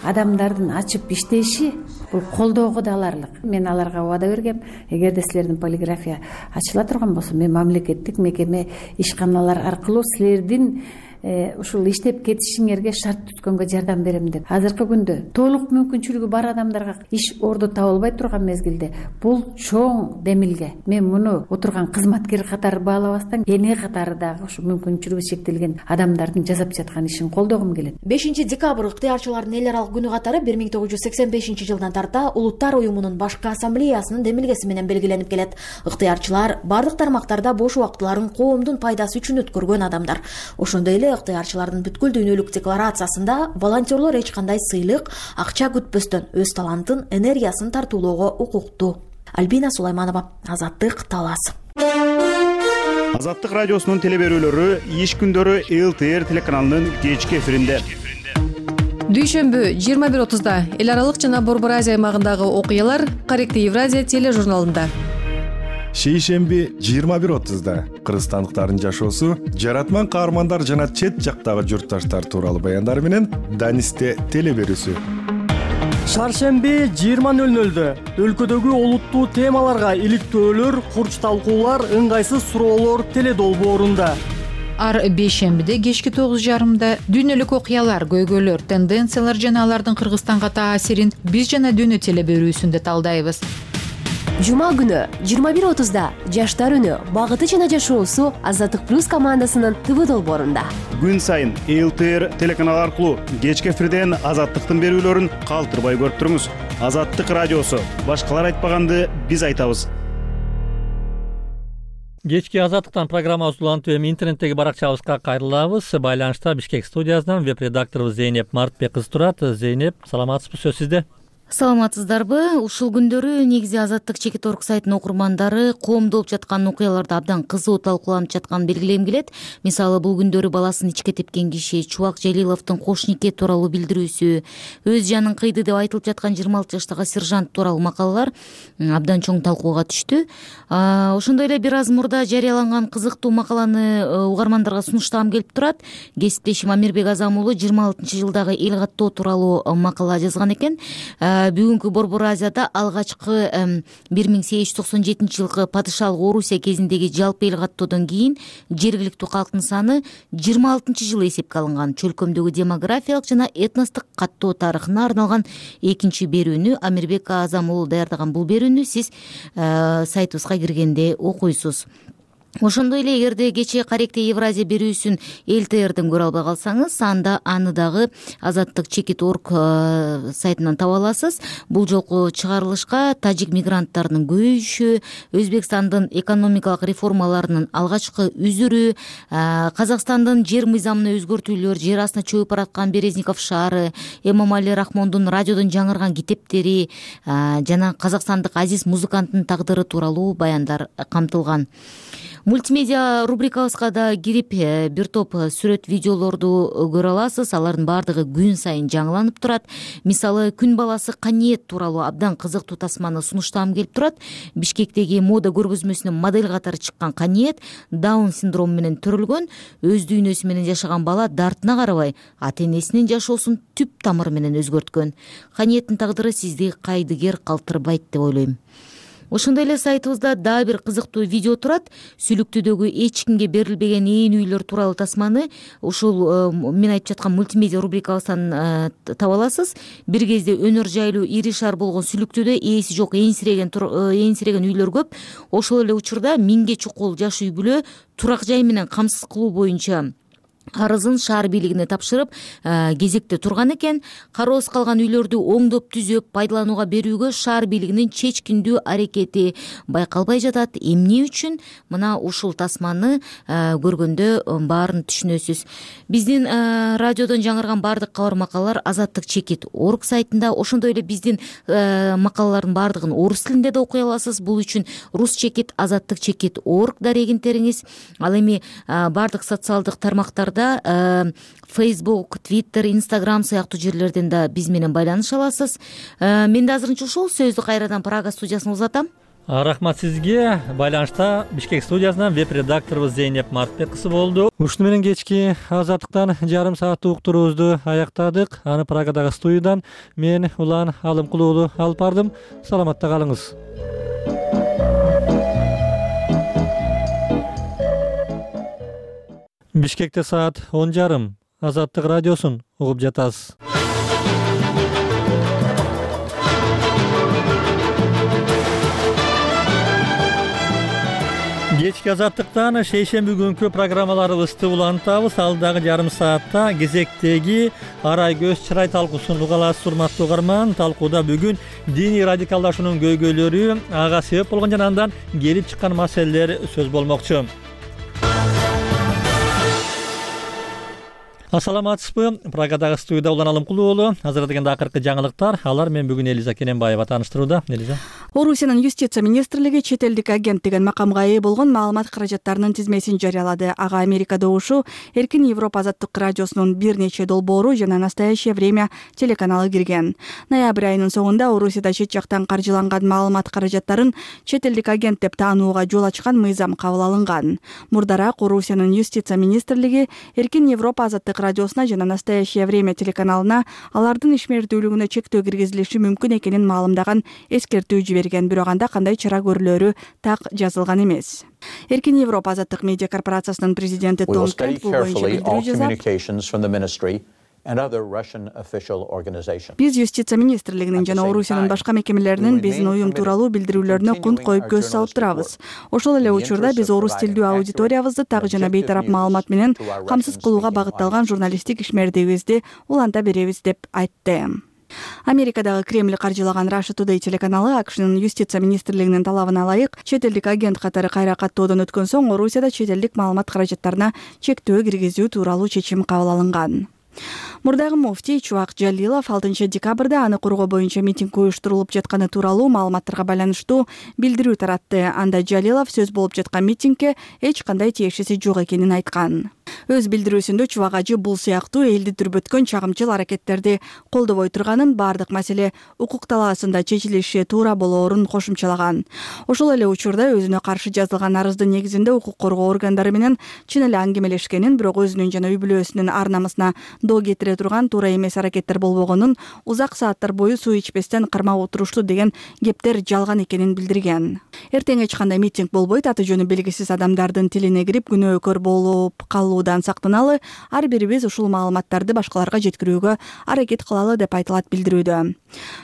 адамдардын ачып иштеши бул колдоого да аларлык. Мен аларга убада бергем, эгерде силердин полиграфия ачыла турган болсо, мен мамлекеттик мекеме ишканалар аркылуу силердин ушул иштеп кетишиңерге шарт түзгөнгө жардам берем деп. Азыркы күндө толук мүмкүнчүлүгү бар адамдарга иш орду табылбай турган мезгилде бул чоң демилге. Мен муну отурган кызматкер катары баалабастан, эне катары дагы ушу мүмкүнчүлүгү чектелген адамдардын жасап жаткан ишин колдогум келет. 5 декабрь ыктыярчылардын эл аралык күнү катары 1985 жылдан тарта Улуттар уюмунун башкы ассамблеясынын демилгеси менен белгиленип келет. Ыктыярчылар бардык тармактарда бош убактыларын коомдун пайдасы үчүн өткөргөн адамдар. Ошондой эле ыктыярчылардын бүткүл дүйнөлүк декларациясында волонтерлор эч кандай сыйлык, акча күтпөстөн өз талантын, энергиясын тартуулоого укуктуу. Альбина Сулайманова, Азаттык, Талас. Азаттык радиосунун теле берүүлөрү иш күндөрү ЛТР телеканалынын кечки эфиринде. Дүйшөмбү 21:30-да эл аралык жана Борбор Азия аймагындагы окуялар Корректив Евразия тележурналында. Шейшемби 21:30-да кыргызстандыктардын жашоосу, жаратман каармандар жана чет жактагы журтташтар тууралуу баяндар менен Данисте теле берүүсү. Шаршемби 20:00-дө өлкөдөгү олуттуу темаларга иликтөөлөр, курч талкуулар, ыңгайсыз суроолор теле долбоорунда. Ар бейшембиде кечки 9:30-да дүйнөлүк окуялар, көйгөйлөр, тенденциялар жана алардын Кыргызстанга таасирин биз жана дүйнө теле берүүсүндө талдайбыз. Жума күнү 21:30-да Жаштар үнү, багыты жана жашоосу Азаттык плюс командасынын ТВ долбоорунда. Күн сайын ЛТР телеканалы аркылуу кечки эфирден Азаттыктын берүүлөрүн калтырбай көрүп туруңуз. Азаттык радиосу, башкалар айтпаганды биз айтабыз. Кечки Азаттыктан программабыз улантып, эми интернеттеги баракчабызга кайрылабыз. Байланышта Бишкек студиясынан веб-редакторубуз Зейнеп Мартбек кызы турат. Зейнеп, саламатсызбы, сөз сизде. Саламатсыздарбы? Ушул күндөрү негизи Азаттык Чекит.орг сайтынын окурмандары коомдо болуп жаткан окуяларды абдан кызуу талкууланып жатканын белгилегим келет. Мисалы, бул күндөрү баласын ичке тепкен киши, Чубак Желиловдун кош нике тууралуу билдирүүсү, өз жанын кыйды деп айтылып жаткан 26 жаштагы сержант тууралуу макалалар абдан чоң талкууга түштү. Ошондой эле бир аз мурда жарыяланган кызыктуу макаланы угармандарга сунуштагым келип турат. Кесиптешим Амирбек Азам уулу 26-жылдагы эл каттоо тууралуу макала жазган экен. Бүгүнкү Борбор Азияда алгачкы 1897-жылкы падышалык Орусия кезиндеги жалпы эл каттоодон кийин жергиликтүү калктын саны 26-жылы эсепке алынган. Чөлкөмдөгү демографиялык жана этностук каттоо тарыхына арналган экинчи берүүнү Амирбек Азам уулу даярдаган. Бул берүүнү сиз сайтыбызга киргенде окуйсуз. Ошондой эле эгерде кечээ Корректив Евразия берүүсүн ЛТРден көрө албай калсаңыз, анда аны дагы Азаттык Чекит.орг сайтынан таба аласыз. Бул жолку чыгарылышка тажик мигранттарынын көбөйүшү, Өзбекстандын экономикалык реформаларынын алгачкы үзүрү, Казакстандын жер мыйзамына өзгөртүүлөр, жер астына чөгүп бараткан Березников шаары, Эмомали Рахмондун радиодон жаңырган китептери жана казакстандык азиз музыканттын тагдыры тууралуу баяндар камтылган. Мультимедиа рубрикабызга да кирип бир топ сүрөт видеолорду көрө аласыз. Алардын баардыгы күн сайын жаңыланып турат. Мисалы, күн баласы Каниет тууралуу абдан кызыктуу тасманы сунуштагым келип турат. Бишкектеги мода көргөзмөсүнө модель катары чыккан Каниет Даун синдрому менен төрөлгөн. Өз дүйнөсү менен жашаган бала дартына карабай ата-энесинин жашоосун түп тамыры менен өзгөрткөн. Каниеттин тагдыры сизди кайдыгер калтырбайт деп ойлойм. Ошондой эле сайтыбызда дагы бир кызыктуу видео турат. Сүлүктүүдөгү эч кимге берилбеген ээн үйлөр тууралуу тасманы ушул мен айтып жаткан мультимедиа рубрикабыздан таба аласыз. Бир кезде өнөр жайлуу ири шаар болгон Сүлүктүүдө ээси жок ээнсиреген үйлөр көп. Ошол эле учурда 1000ге чукул жаш үй бүлө турак жай менен камсыз кылуу боюнча арызын шаар бийлигине тапшырып кезекте турган экен. Кароосуз калган үйлөрдү оңдоп түзөп пайдаланууга берүүгө шаар бийлигинин чечкиндүү аракети байкалбай жатат. Эмне үчүн? Мына ушул тасманы көргөндө баарын түшүнөсүз. Биздин радиодон жаңырган баардык кабар макалалар azattikchekit.org сайтында, ошондой эле биздин макалалардын баардыгын орус тилинде да окуй аласыз. Бул үчүн Rusчекит azattikchekit.org дарегин териңиз. Ал эми баардык социалдык тармактарда Facebook, Twitter, Instagram сыяктуу жерлерден да биз менен байланыша аласыз. Мен да азырынча ушул сөздү кайрадан Прага студиясына узатам. Рахмат сизге. Байланышта Бишкек студиясынан веб-редакторубуз Зейнеп Мартбек кызы болду. Ушуну менен кечки азаттыктан жарым сааттык уктуруубузду аяктадык. Аны Прагадагы студиядан мен Улан Алымкул уулу алып бардым. Саламатта калыңыз. Бишкекте саат 10:30. Азаттык радиосун угуп жатасыз. Кечки азаттыктан шейшемби күнкү программаларыбызды улантабыз. Алдагы жарым саатта кезектеги арай көз чырай талкуусун уга аласыз, урматтуу угарман. Талкууда бүгүн диний радикалдашуунун көйгөйлөрү, ага себеп болгон жана андан келип чыккан маселелер сөз болмокчу. Ассаламатсызбы? Прагадагы студияда Улан Алымкул уулу. Азыр дегенде акыркы жаңылыктар. Алар мен бүгүн Элиза Кененбаева тааныштырууда. Элиза. Орусиянын юстиция министрлиги чет элдик агент деген макамга ээ болгон маалымат каражаттарынын тизмесин жарыялады. Ага Америкада ушу Эркин Европа азаттык радиосунун бир нече долбоору жана Настоящее время телеканалы кирген. Ноябрь айынын соңунда Орусияда чет жактан каржыланган маалымат каражаттарын чет элдик агент деп таанууга жол ачкан мыйзам кабыл алынган. Мурдараак Орусиянын юстиция министрлиги Эркин Европа азаттык радиосуна жана Настоящее время телеканалына алардын ишмердүүлүгүнө чектөө киргизилиши мүмкүн экенин маалымдаган эскертүү жиберген, бирок анда кандай чара көрүлөрү так жазылган эмес. Эркин Европа азаттык медиа корпорациясынын президенти Том Кент бул боюнча билдирүү жасап, биз юстиция министрлигинин жана Орусиянын башка мекемелеринин биздин уюм тууралуу билдирүүлөрүнө кунт коюп көз салып турабыз. Ошол эле учурда биз орус тилдүү аудиториябызды так жана бейтарап маалымат менен камсыз кылууга багытталган журналисттик ишмердигибизди уланта беребиз деп айтты. Америкадагы Кремль каржылаган Russia Today телеканалы АКШнын юстиция министрлигинин талабына ылайык чет элдик агент катары кайра каттоодон өткөн соң Орусияда чет элдик маалымат каражаттарына чектөө киргизүү тууралуу чечим кабыл алынган. Мурдагы муфтий Чубак Жалилов 6 декабрда аны коргоо боюнча митинг уюштурулуп жатканы тууралуу маалыматтарга байланыштуу билдирүү таратты. Анда Жалилов сөз болуп жаткан митингге эч кандай тиешеси жок экенин айткан. Өз билдирүүсүндө Чубак ажы бул сыяктуу элди дүрбөткөн чагымчыл аракеттерди колдобой турганын, бардык маселе укук талаасында чечилиши туура болоорун кошумчалаган. Ошол эле учурда өзүнө каршы жазылган арыздын негизинде укук коргоо органдары менен чын эле аңгемелешкенин, бирок өзүнүн жана үй бүлөсүнүн ар намысына доо кетире турган туура эмес аракеттер болбогонун, узак сааттар бою суу ичпестен кармап отурушту деген кептер жалган экенин билдирген. Эртең эч кандай митинг болбойт, аты жөнү белгисиз адамдардын тилине кирип күнөөкөр болуп калуудан сактаналы, ар бирибиз ушул маалыматтарды башкаларга жеткирүүгө аракет кылалы деп айтылат билдирүүдө.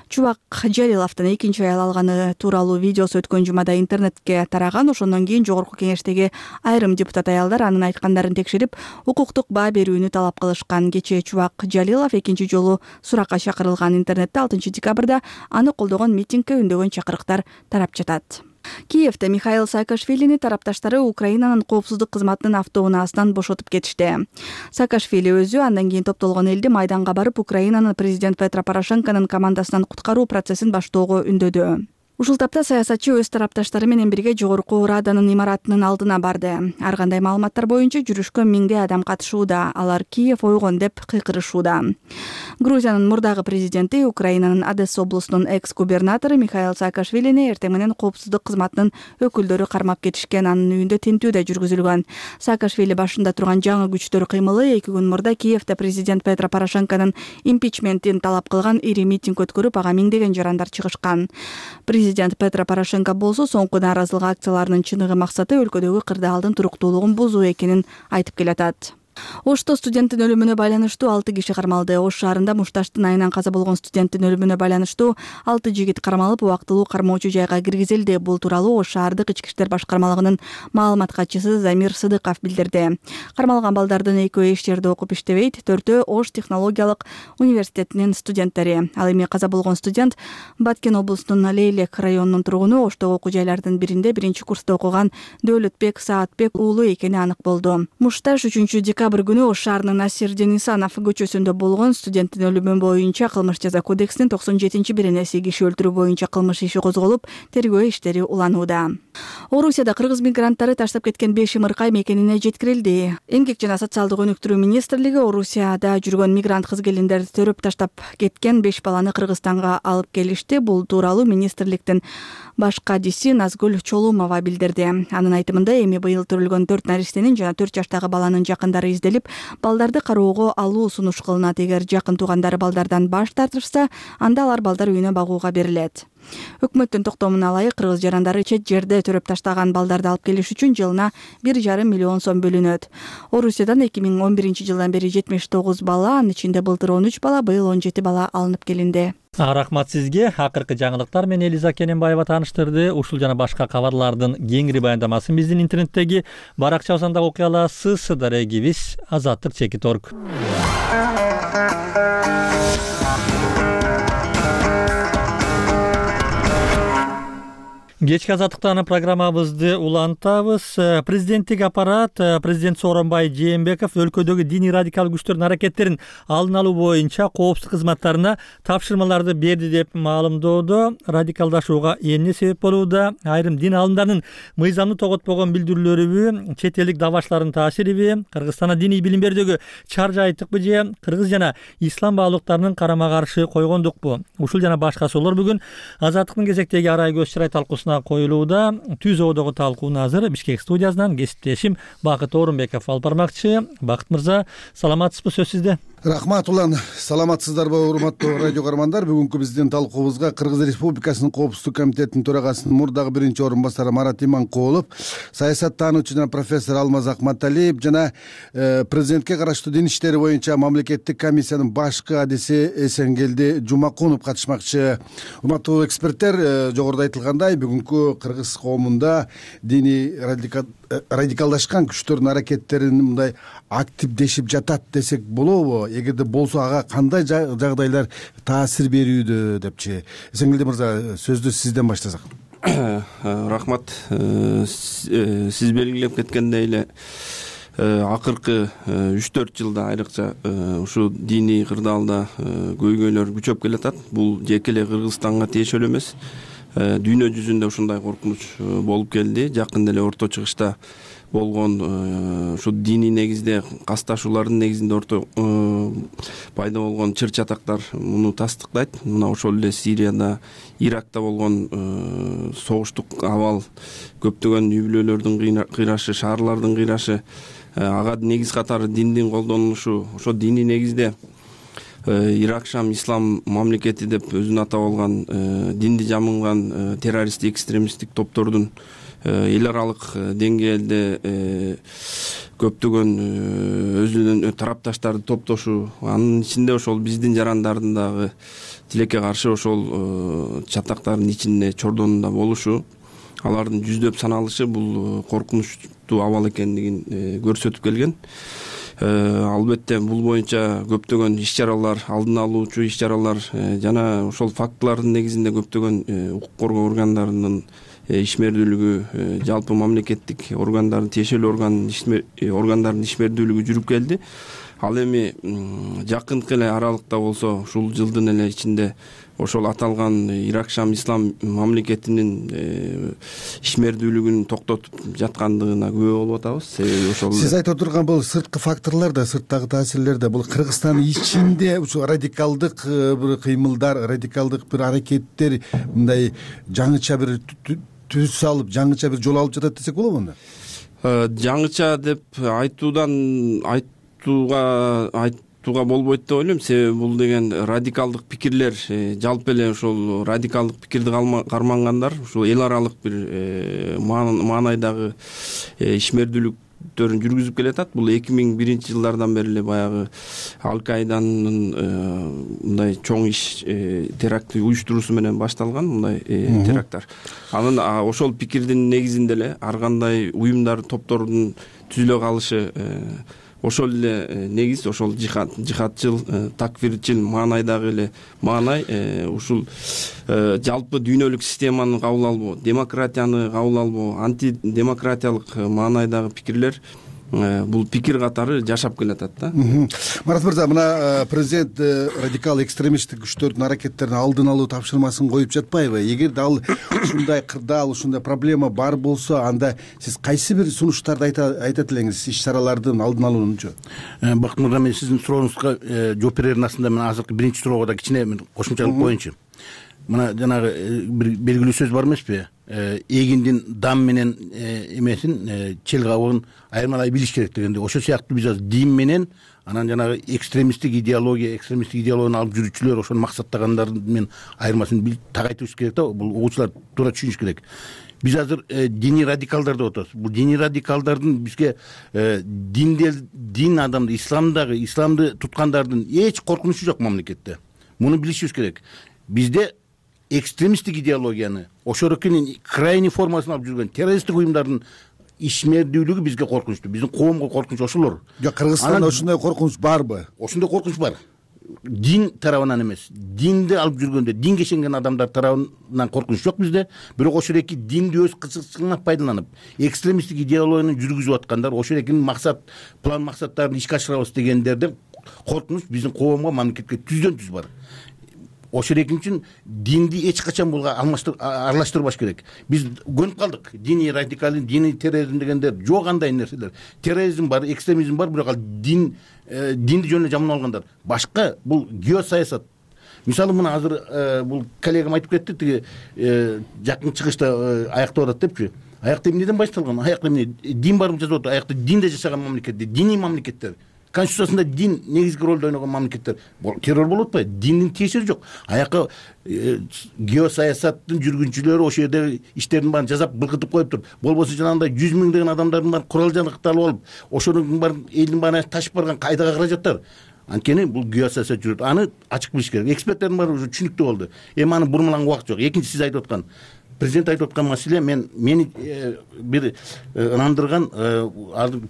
Чубак Жалиловдун экинчи аял алганы тууралуу видеосу өткөн жумада интернетке тараган. Ошондон кийин жогорку кеңештеги айрым депутат аялдар анын айткандарын текшерип, укуктук баа берүүнү талап кылышкан. Кечээ Чубак Жалилов экинчи жолу суракка чакырылган. Интернетте 6 декабрда аны колдогон митингге үндөгөн чакырыктар тарап жатат. Киевде Михаил Саакашвилини тарапташтары Украинанын коопсуздук кызматынын автоунаасынан бошотуп кетишти. Саакашвили өзү андан кийин топтолгон элди майданга барып, Украинанын президент Петро Порошенконун командасынан куткаруу процессин баштоого үндөдү. Ушул тапта саясатчы өз тарапташтары менен бирге жогорку Раданын имаратынын алдына барды. Ар кандай маалыматтар боюнча жүрүшкө 1000 адам катышууда. Алар Киев ойгон деп кыйкырышууда. Грузиянын мурдагы президенти, Украинанын Одесса облусунун экс-губернатору Михаил Саакашвилини эртең менен коопсуздук кызматынын өкүлдөрү кармап кетишкен. Анын үйүндө тинтүү да жүргүзүлгөн. Саакашвили башында турган жаңы күчтөр кыймылы 2 күн мурда Киевде президент Петро Порошенконун импичментин талап кылган ири митинг өткөрүп, ага миңдеген жарандар чыгышкан. Президент Петро Порошенко болсо соңку нааразылык акцияларынын чыныгы максаты өлкөдөгү кырдаалдын туруктуулугун бузуу экенин айтып келатат. Ошто студенттин өлүмүнө байланыштуу 6 киши кармалды. Ош шаарында мушташтын айынан каза болгон студенттин өлүмүнө байланыштуу 6 жигит кармалып, убактылуу кармоочу жайга киргизилди. Бул тууралуу Ош шаардык ички иштер башкармалыгынын маалымат катчысы Замир Сыдыков билдирди. Кармалган балдардын экөө эч жерде окуп иштебейт, 4-өө Ош технологиялык университетинин студенттери. Ал эми каза болгон студент Баткен облусунун Лейлек районунун тургуну, Оштогу окуу жайлардын биринде 1-курста окуган Дөөлөтбек Саатбек уулу экени анык болду. Мушташ 3-декабрь күнү Ош шаарынын Насир Денисанов көчөсүндө болгон студенттин өлүмү боюнча кылмыш жаза кодексинин 97-беренеси киши өлтүрүү боюнча кылмыш иши козголуп, тергөө иштери уланууда. Орусияда кыргыз мигранттары таштап кеткен 5 ымыркай мекенине жеткирилди. Эмгек жана социалдык өнүктүрүү министрлиги Орусияда жүргөн мигрант кыз келиндерди төрөп таштап кеткен 5 баланы Кыргызстанга алып келишти. Бул тууралуу министрликтин баш кадиси Назгүл Чолумова билдирди. Анын айтымында эми быйыл төрөлгөн 4 нариштенин жана 4 жаштагы баланын жакындары изделип, балдарды кароого алуу сунуш кылынат. Эгер жакын туугандары балдардан баш тартышса, анда алар балдар үйүнө багууга берилет. Өкмөттүн токтомуна ылайык кыргыз жарандары чет жерде төрөп таштаган балдарды алып келиш үчүн жылына 1,5 миллион сом бөлүнөт. Орусиядан 2011-жылдан бери 79 бала, анын ичинде былтыр 13 бала, быйыл 17 бала алынып келинди. Рахмат сизге. Акыркы жаңылыктар менен Элиза Кененбаева тааныштырды. Ушул жана башка кабарлардын кеңири баяндамасын биздин интернеттеги баракчабыздан окуй аласыз. Дарегибиз azattik.org. Кечки азаттыктан программабызды улантабыз. Президенттик аппарат президент Сооронбай Жээнбеков өлкөдөгү диний радикал күчтөрдүн аракеттерин алдын алуу боюнча коопсуздук кызматтарына тапшырмаларды берди деп маалымдоодо. Радикалдашууга эмне себеп болууда? Айрым дин алымдарынын мыйзамды тоготпогон билдирүүлөрүбү, чет элдик давачлардын таасириби, Кыргызстанда диний билим берүүдөгү чар жайтыкпы же кыргыз жана ислам баалуулуктарынын карама каршы койгондукпу? Ушул жана башка суроолор бүгүн азаттыктын кезектеги арай көз чырай талкуусуна коюлууда. Түз оодогу талкууну азыр Бишкек студиясынан кесиптешим Бакыт Орунбеков алып бармакчы. Бакыт мырза, саламатсызбы? Сөз сизде. Рахмат улан. Саламатсыздарбы, урматтуу радио көрөрмандар? Бүгүнкү биздин талкуубузга Кыргыз Республикасынын Коопсуздук комитетинин төрагасынын мурдагы 1-орун-басары Марат Иманкулов, саясаттануучу жана профессор Алмаз Акматалиев жана президентке караштуу дин иштери боюнча мамлекеттик комиссиянын баш кадиси Эсенгелди Жумакунов катышмакчы. Урматтуу эксперттер, жогоруда айтылгандай, бүгүнкү кыргыз коомунда диний радикалдашкан күчтөрдүн аракеттерин мындай активдешип жатат десек болобу? Эгерде болсо, ага кандай жагдайлар таасир берүүдө депчи? Эсенгелди мырза, сөздү сизден баштасак. Рахмат. Сиз белгилеп кеткендей эле акыркы 3-4 жылда айрыкча ушу диний кырдаалда көйгөйлөр күчөп келатат. Бул жеке эле Кыргызстанга тиешелүү эмес. Дүйнө жүзүндө ушундай коркунуч болуп келди. Жакында эле Орто Чыгышта болгон ушу диний негизде касташуулардын негизинде пайда болгон чыр-чатактар муну тастыктайт. Мына ошол эле Сирияда, Иракта болгон согуштук абал, көптөгөн үй бүлөлөрдүн кыйрашы, шаарлардын кыйрашы, ага негиз катары диндин колдонулушу, ошо диний негизде Ирак Шам ислам мамлекети деп өзүн атап алган динди жамынган террористтик, экстремисттик топтордун эл аралык деңгээлде көптөгөн өзүнүн тарапташтарды топтошу, анын ичинде ошол биздин жарандардын дагы тилекке каршы ошол чатактардын ичинде чордонунда болушу, алардын жүздөп саналышы бул коркунучтуу абал экендигин көрсөтүп келген. Албетте бул боюнча көптөгөн иш-чаралар, алдын алуучу иш-чаралар жана ошол фактылардын негизинде көптөгөн укук коргоо органдарынын ишмердүүлүгү, жалпы мамлекеттик органдардын, тиешелүү органдардын ишмердүүлүгү жүрүп келди. Ал эми жакынкы эле аралыкта болсо, ушул жылдын эле ичинде ошол аталган Ирак Шам ислам мамлекетинин ишмердүүлүгүн токтотуп жаткандыгына күбө болуп атабыз. Себеби ошол сиз айтып отурган бул сырткы факторлор да, сырттагы таасирлер да, бул Кыргызстандын ичинде ушул радикалдык бир кыймылдар, радикалдык бир аракеттер мындай жаңыча бир түз алып, жаңыча бир жол алып жатат десек болобу анда? Жаңыча деп болбойт деп ойлойм. Себеби бул деген радикалдык пикирлер, жалпы эле ошол радикалдык пикирди кармангандар ушул эл аралык бир маанайдагы ишмердүүлүктөрүн жүргүзүп келатат. Бул 2001 жылдардан бери эле баягы Аль-Каиданын мындай чоң иш теракты уюштуруусу менен башталган мындай теракттар. Анын ошол пикирдин негизинде эле ар кандай уюмдар, топтордун түзүлө калышы ошол эле негиз, ошол жихадчыл, такфирчил маанайдагы эле маанай ушул жалпы дүйнөлүк системаны кабыл албоо, демократияны кабыл албоо, антидемократиялык маанайдагы пикирлер бул пикир катары жашап келатат да. Марат мырза, мына президент радикал экстремисттик күчтөрдүн аракеттерин алдын алуу тапшырмасын коюп жатпайбы? Эгерде ал ушундай кырдаал, ушундай проблема бар болсо, анда сиз кайсы бир сунуштарды айтат элеңиз иш-чаралардын алдын алуунчу? Бакыт мырза, мен сиздин сурооңузга жооп берердин астында мен азыркы биринчи суроого да кичине кошумчалык коеюнчу. Мына жанагы бир белгилүү сөз бар эмеспи? Эгиндин дам менен эмесин чел кабыгын айырмалай билиш керек дегенде, ошол сыяктуу биз азыр дин менен анан жанагы экстремисттик идеологияны алып жүрүүчүлөр ошону максаттагандар менен айырмасын так айтыбыз керек да. Бул угуучулар туура түшүнүш керек. Биз азыр диний радикалдар деп атабыз. Бул диний радикалдардын бизге дин адамды, исламды туткандардын эч коркунучу жок мамлекетте. Муну билишибиз керек. Бизде экстремисттик идеологияны, ошонукунун крайний формасын алып жүргөн террористтик уюмдардын ишмердүүлүгү бизге коркунучтуу. Биздин коомго коркунуч ошолор. Жок, Кыргызстанда ошондой коркунуч барбы? Ошондой коркунуч бар. Дин тарабынан эмес. Динди алып жүргөндө, динге ишенген адамдар тарабынан коркунуч жок бизде. Бирок ошол эки динди өз кызыкчылыгына пайдаланып, экстремисттик идеологияны жүргүзүп аткандар, ошол экинин план максаттарын ишке ашырабыз дегендерден коркунуч биздин коомго, мамлекетке түздөн түз бар. Ошол экин үчүн динди эч качан булга аралаштырбаш керек. Биз көнүп калдык. Диний радикализм, диний терроризм дегендер жок андай нерселер. Терроризм бар, экстремизм бар, бирок ал динди жөн эле жаман алгандар. Башка бул геосаясат. Мисалы мына азыр бул коллегам айтып кетти, тиги жакын чыгышта аяктап атат депчи. Аякта эмнеден башталган? Аякта эмне дин барып жазып атат. Аякта динде жашаган мамлекетте, диний мамлекеттер. Конституциясында дин негизги ролду ойногон мамлекеттер террор болуп атпайбы? Диндин тиешеси жок. Аяка геосаясаттын жүргүнчүлөрү ошол жерде иштердин баарын жазап былкытып коюп туруп, болбосо жанагындай 100 миңдеген адамдардын баары курал жаракталып алып, ошонун баарын элдин баарына ташып барган кайдага каражаттар. Анткени бул геосаясат жүрөт. Аны ачык билиш керек. Эксперттердин баары уже түшүнүктүү болду. Аны бурмаланга убакыт жок. Экинчи, сиз айтып аткан президент айтып аткан маселе, мени бир ынандырган,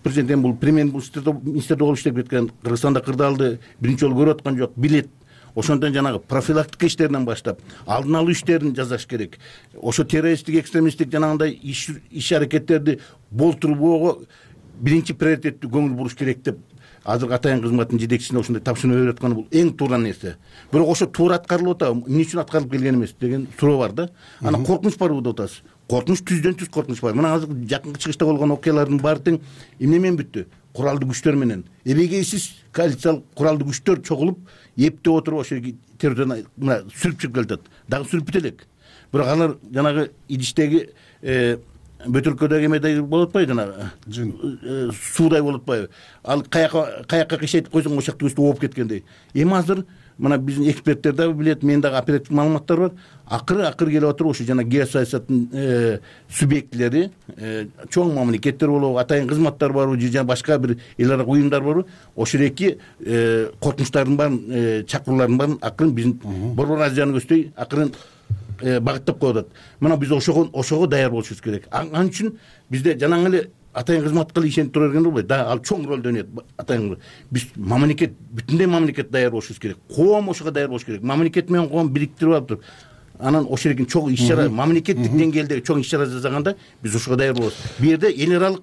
президент бул премьер-министрде болуп иштеп кеткен, Кыргызстанда кырдаалды биринчи жолу көрүп аткан жок, билет. Ошондон жанагы профилактика иштеринен баштап, алдын алуу иштерин жасаш керек. Ошо террористтик, экстремисттик жанагындай иш аракеттерди болтурбоого биринчи приоритеттүү көңүл буруш керек деп азыркы атайын кызматтын жетекчисине ошондой тапшырма берип атканы бул эң туура нерсе. Бирок ошо туура аткарылып атабы, эмне үчүн аткарылып келген эмес деген суроо бар да. Анан коркунуч барбы деп атасыз. Коркунуч түздөн түз коркунуч бар. Мына азыр жакынкы чыгышта болгон окуялардын баары тең эмне менен бүттү? Куралдуу күчтөр менен. Эбегейсиз коалициялык куралдуу күчтөр чогулуп, эптеп отуруп ошо террордон мына сүрүп чыгып келатат. Дагы сүрүп бүт элек. Бирок алар жанагы идиштеги бөтөлкөдөгү эмедей болуп атпайбы, жанагы суудай болуп атпайбы? Ал каяка кыйшайтып койсоң ошол жакта өстүп ооп кеткендей. Эми азыр мына биздин эксперттер дагы билет, мен дагы оперативдик маалыматтар бар. Акыры келип атыр ошо жана геосаясаттын субъектилери, чоң мамлекеттер болобу, атайын кызматтар барбы, же башка бир эл ара уюмдар барбы, ошол эки коркунучтардын баарын, чакыруулардын баарын акырын биздин Борбор Азиянын көздөй акырын багыттап коюп атат. Мына биз ошого даяр болушубуз керек. Ал үчүн бизде жанагы эле атайын кызматка ишенип тура бергенде болбойт. Да, ал чоң ролду ойнойт атайын. Биз мамлекет, бүтүндөй мамлекет даяр болушубуз керек. Коом ошого даяр болуш керек. Мамлекет менен коом бириктирип алып туруп, анан ошол экен чоң иш-чара, мамлекеттик деңгээлдеги чоң иш-чара жасаганда биз ошого даяр болобуз. Бу жерде эл аралык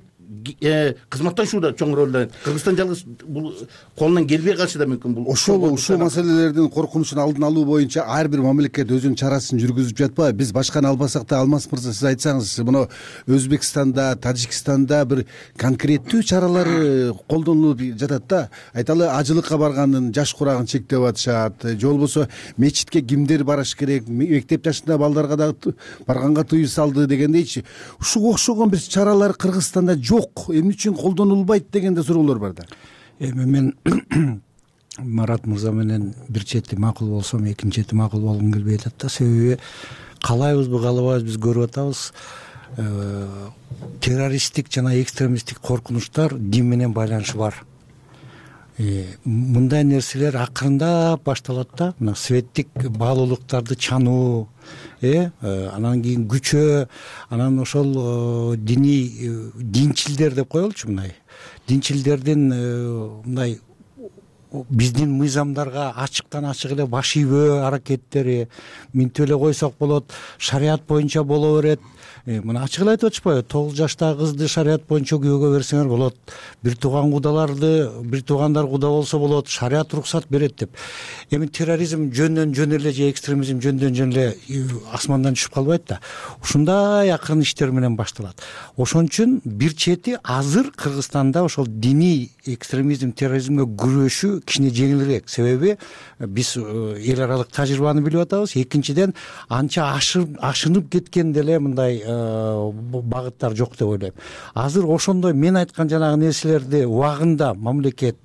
кызматташууда чоң ролду ойнойт. Кыргызстан жалгыз бул колунан келбей калышы да мүмкүн. Бул ушул маселелердин коркунучун алдын алуу боюнча ар бир мамлекет өзүнүн чарасын жүргүзүп жатпайбы? Биз башканы албасак да, Алмаз мырза, сиз айтсаңыз, мына Өзбекстанда, Тажикстанда бир конкреттүү чаралар колдонулуп жатат да. Айталы, ажылыкка баргандын жаш курагын чектеп атышат, же болбосо мечитке кимдер барыш керек, мектеп жашында балдарга дагы барганга тыюу салды дегендейчи. Ушуга окшогон бир чаралар Кыргызстанда жок, эмне үчүн колдонулбайт деген да суроолор бар да. Эми мен Марат мырза менен бир чети макул болсом, экинчи чети макул болгум келбей атат да. Себеби каалайбызбы каалабайбыз биз көрүп атабыз, террористтик жана экстремисттик коркунучтар дин менен байланышы бар. Мындай нерселер акырындап башталат да. Мына светтик баалуулуктарды чануу, анан кийин күчөө, анан ошол динчилдер деп коелучу, мындай динчилдердин мындай биздин мыйзамдарга ачыктан ачык эле баш ийбөө аракеттери, минтип эле койсок болот, шарият боюнча боло берет. Мына ачык эле айтып атышпайбы, 9 жаштагы кызды шарият боюнча күйөөгө берсеңер болот, бир тууган кудандар куда болсо болот, шарият уруксат берет деп. Эми терроризм жөн эле же экстремизм жөн эле асмандан түшүп калбайт да. Ушундай акырын иштер менен башталат. Ошон үчүн бир чети азыр Кыргызстанда ошол диний экстремизм, терроризмге күрөшүү кичине жеңилирээк. Себеби биз эл аралык тажрыйбаны билип атабыз. Экинчиден анча ашынып кеткен деле мындай багыттар жок деп ойлойм. Азыр ошондой мен айткан жанагы нерселерди убагында мамлекет,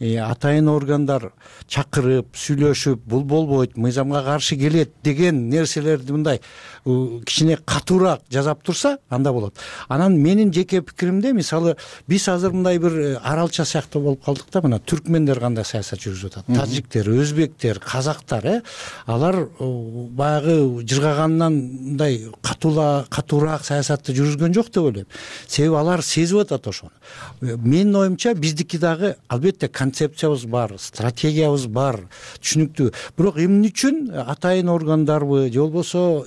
атайын органдар чакырып, сүйлөшүп, бул болбойт, мыйзамга каршы келет деген нерселерди мындай кичине катуураак жасап турса, анда болот. Анан менин жеке пикиримде, мисалы, биз азыр мындай бир аралча сыяктуу болуп калдык да. Мына түркмендер кандай саясат жүргүзүп атат, тажиктер, өзбектер, казактар, алар баягы жыргагандан мындай катуураак саясатты жүргүзгөн жок деп ойлойм. Себеби алар сезип атат ошону. Менин оюмча биздики дагы албетте концепциябыз бар, стратегиябыз бар, түшүнүктүү. Бирок эмне үчүн атайын органдарбы, же болбосо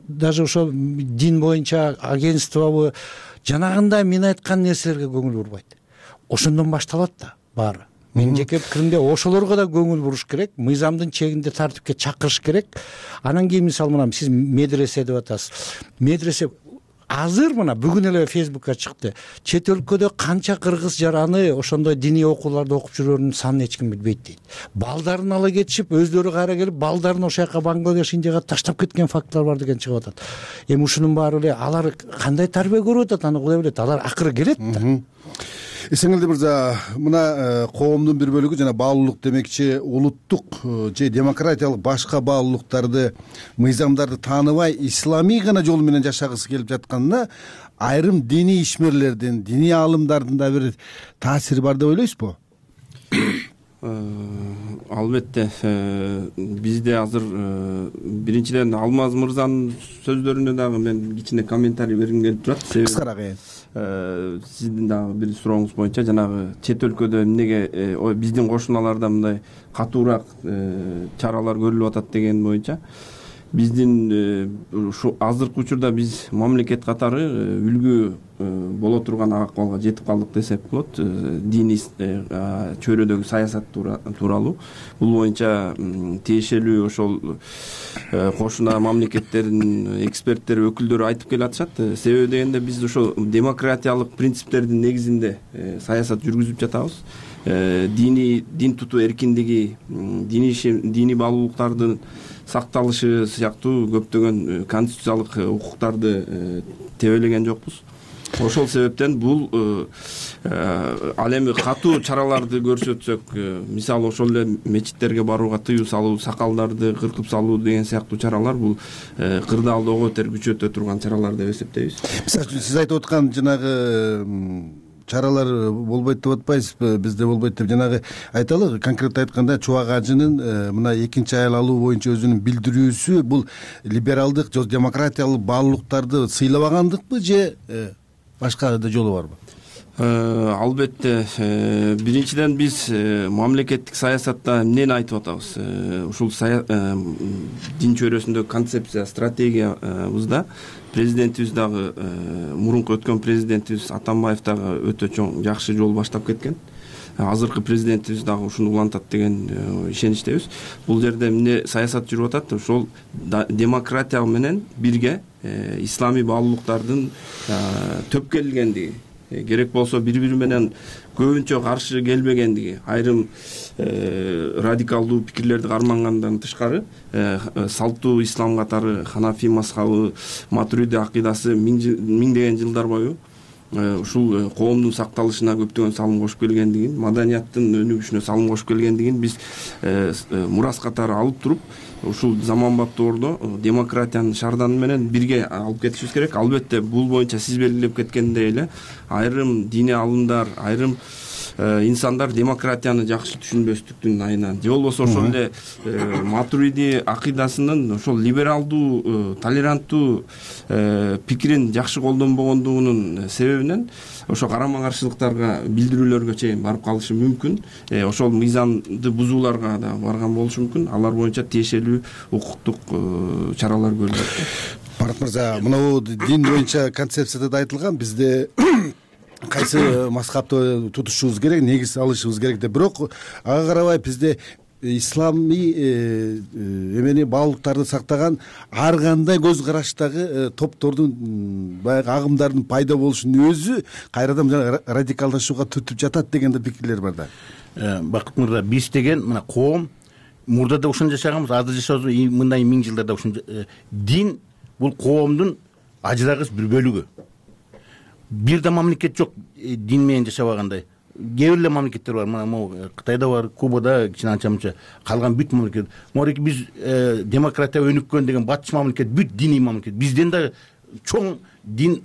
даже ошо дин боюнча агентствобу жанагындай мен айткан нерселерге көңүл бурбайт? Ошондон башталат да баары. Менин жеке пикиримде ошолорго да көңүл буруш керек, мыйзамдын чегинде тартипке чакырыш керек. Анан кийин мисалы мына сиз медресе деп атасыз. Медресе азыр мына бүгүн эле Фейсбукка чыкты. Чет өлкөдө канча кыргыз жараны ошондой диний окууларды окуп жүрөрүнүн санын эч ким билбейт дейт. Балдарын ала кетишип, өздөрү кайра келип, балдарын ошол жака Бангладеш, Индияга таштап кеткен фактылар бар деген чыгып атат. Эми ушунун баары эле алар кандай тарбия көрүп атат, аны Кудай билет. Алар акыры келет да. Эсеңилде мырза, мына коомдун бир бөлүгү жана баалуулук демекчи улуттук же демократиялык башка баалуулуктарды, мыйзамдарды тааныбай исламий гана жол менен жашагысы келип жатканына айрым диний ишмерлердин, диний аалымдардын да бир таасири бар деп ойлойсузбу? Албетте, бизде азыр биринчиден Алмаз мырзанын сөздөрүнө дагы мен кичине комментарий бергим келип турат. Кыскараак. Сиздин дагы бир сурооңуз боюнча жанагы чет өлкөдө эмнеге биздин кошуналарда мындай катуураак чаралар көрүлүп атат деген боюнча биздин ушу азыркы учурда биз мамлекет катары үлгү боло турган акыбалга жетип калдык десек болот. Диний чөйрөдөгү саясат тууралуу бул боюнча тиешелүү ошол кошуна мамлекеттердин эксперттери, өкүлдөрү айтып келатышат. Себеби дегенде биз ошо демократиялык принциптердин негизинде саясат жүргүзүп жатабыз. Дин тутуу эркиндиги, диний баалуулуктардын сакталышы сыяктуу көптөгөн конституциялык укуктарды тебелеген жокпуз. Ошол себептен бул ал эми катуу чараларды көрсөтсөк, мисалы ошол эле мечиттерге барууга тыюу салуу, сакалдарды кыркып салуу деген сыяктуу чаралар бул кырдаалды ого бетер күчөтө турган чаралар деп эсептейбиз. Мисалы үчүн сиз айтып аткан жанагы чаралар болбойт деп атпайсызбы? Бизде болбойт деп жанагы айталы, конкретно айтканда Чубак ажынын мына экинчи аял алуу боюнча өзүнүн билдирүүсү бул либералдык же демократиялык баалуулуктарды сыйлабагандыкпы же башка да жолу барбы? Албетте, биринчиден биз мамлекеттик саясатта эмнени айтып атабыз? Ушул дин чөйрөсүндөгү концепция, стратегиябызда президентибиз дагы, мурунку өткөн президентибиз Атамбаев дагы өтө чоң жакшы жол баштап кеткен. Азыркы президентибиз дагы ушуну улантат деген ишеничтебиз. Бул жерде эмне саясат жүрүп атат? Ошол демократия менен бирге исламий баалуулуктардын төпкелилгендиги, керек болсо бири-бири менен көбүнчө каршы келбегендиги, айрым радикалдуу пикирлерди кармангандан тышкары салттуу ислам катары Ханафи мазхабы, Матуриди акыйдасы миңдеген жылдар бою ушул коомдун сакталышына көптөгөн салым кошуп келгендигин, маданияттын өнүгүшүнө салым кошуп келгендигин биз мурас катары алып туруп, ушул заманбап доордо демократиянын шарданы менен бирге алып кетишибиз керек. Албетте бул боюнча сиз белгилеп кеткендей эле айрым диний алымдар, айрым инсандар демократияны жакшы түшүнбөстүктүн айынан же болбосо ошол эле матуриди акыйдасынын ошол либералдуу, толеранттуу пикирин жакшы колдонбогондугунун себебинен ошо карама каршылыктарга, билдирүүлөргө чейин барып калышы мүмкүн. Ошол мыйзамды бузууларга да барган болушу мүмкүн. Алар боюнча тиешелүү укуктук чаралар көрүлөт. Марат мырза, мына дин боюнча концепцияда да айтылган, бизде кайсы мазхабты тутушубуз керек, негиз алышыбыз керек деп. Бирок ага карабай бизде исламий эмени баалуулуктарды сактаган ар кандай көз караштагы топтордун, баягы агымдардын пайда болушунун өзү кайрадан радикалдашууга түртүп жатат деген да пикирлер бар да. Бакыт мырза, биз деген мына коом мурда да ошондо жашаганбыз, азыр жашабыз, мындай миң жылдарда ошондо. Дин бул коомдун ажырагыс бир бөлүгү. Бир да мамлекет жок дин менен жашабагандай. Кээ бир эле мамлекеттер бар. Мына Кытайда бар, Кубада кичине анча-мынча, калган бүт мамлекет. Морики биз демократия өнүккөн деген батыш мамлекет, бүт диний мамлекет. Бизден да чоң дин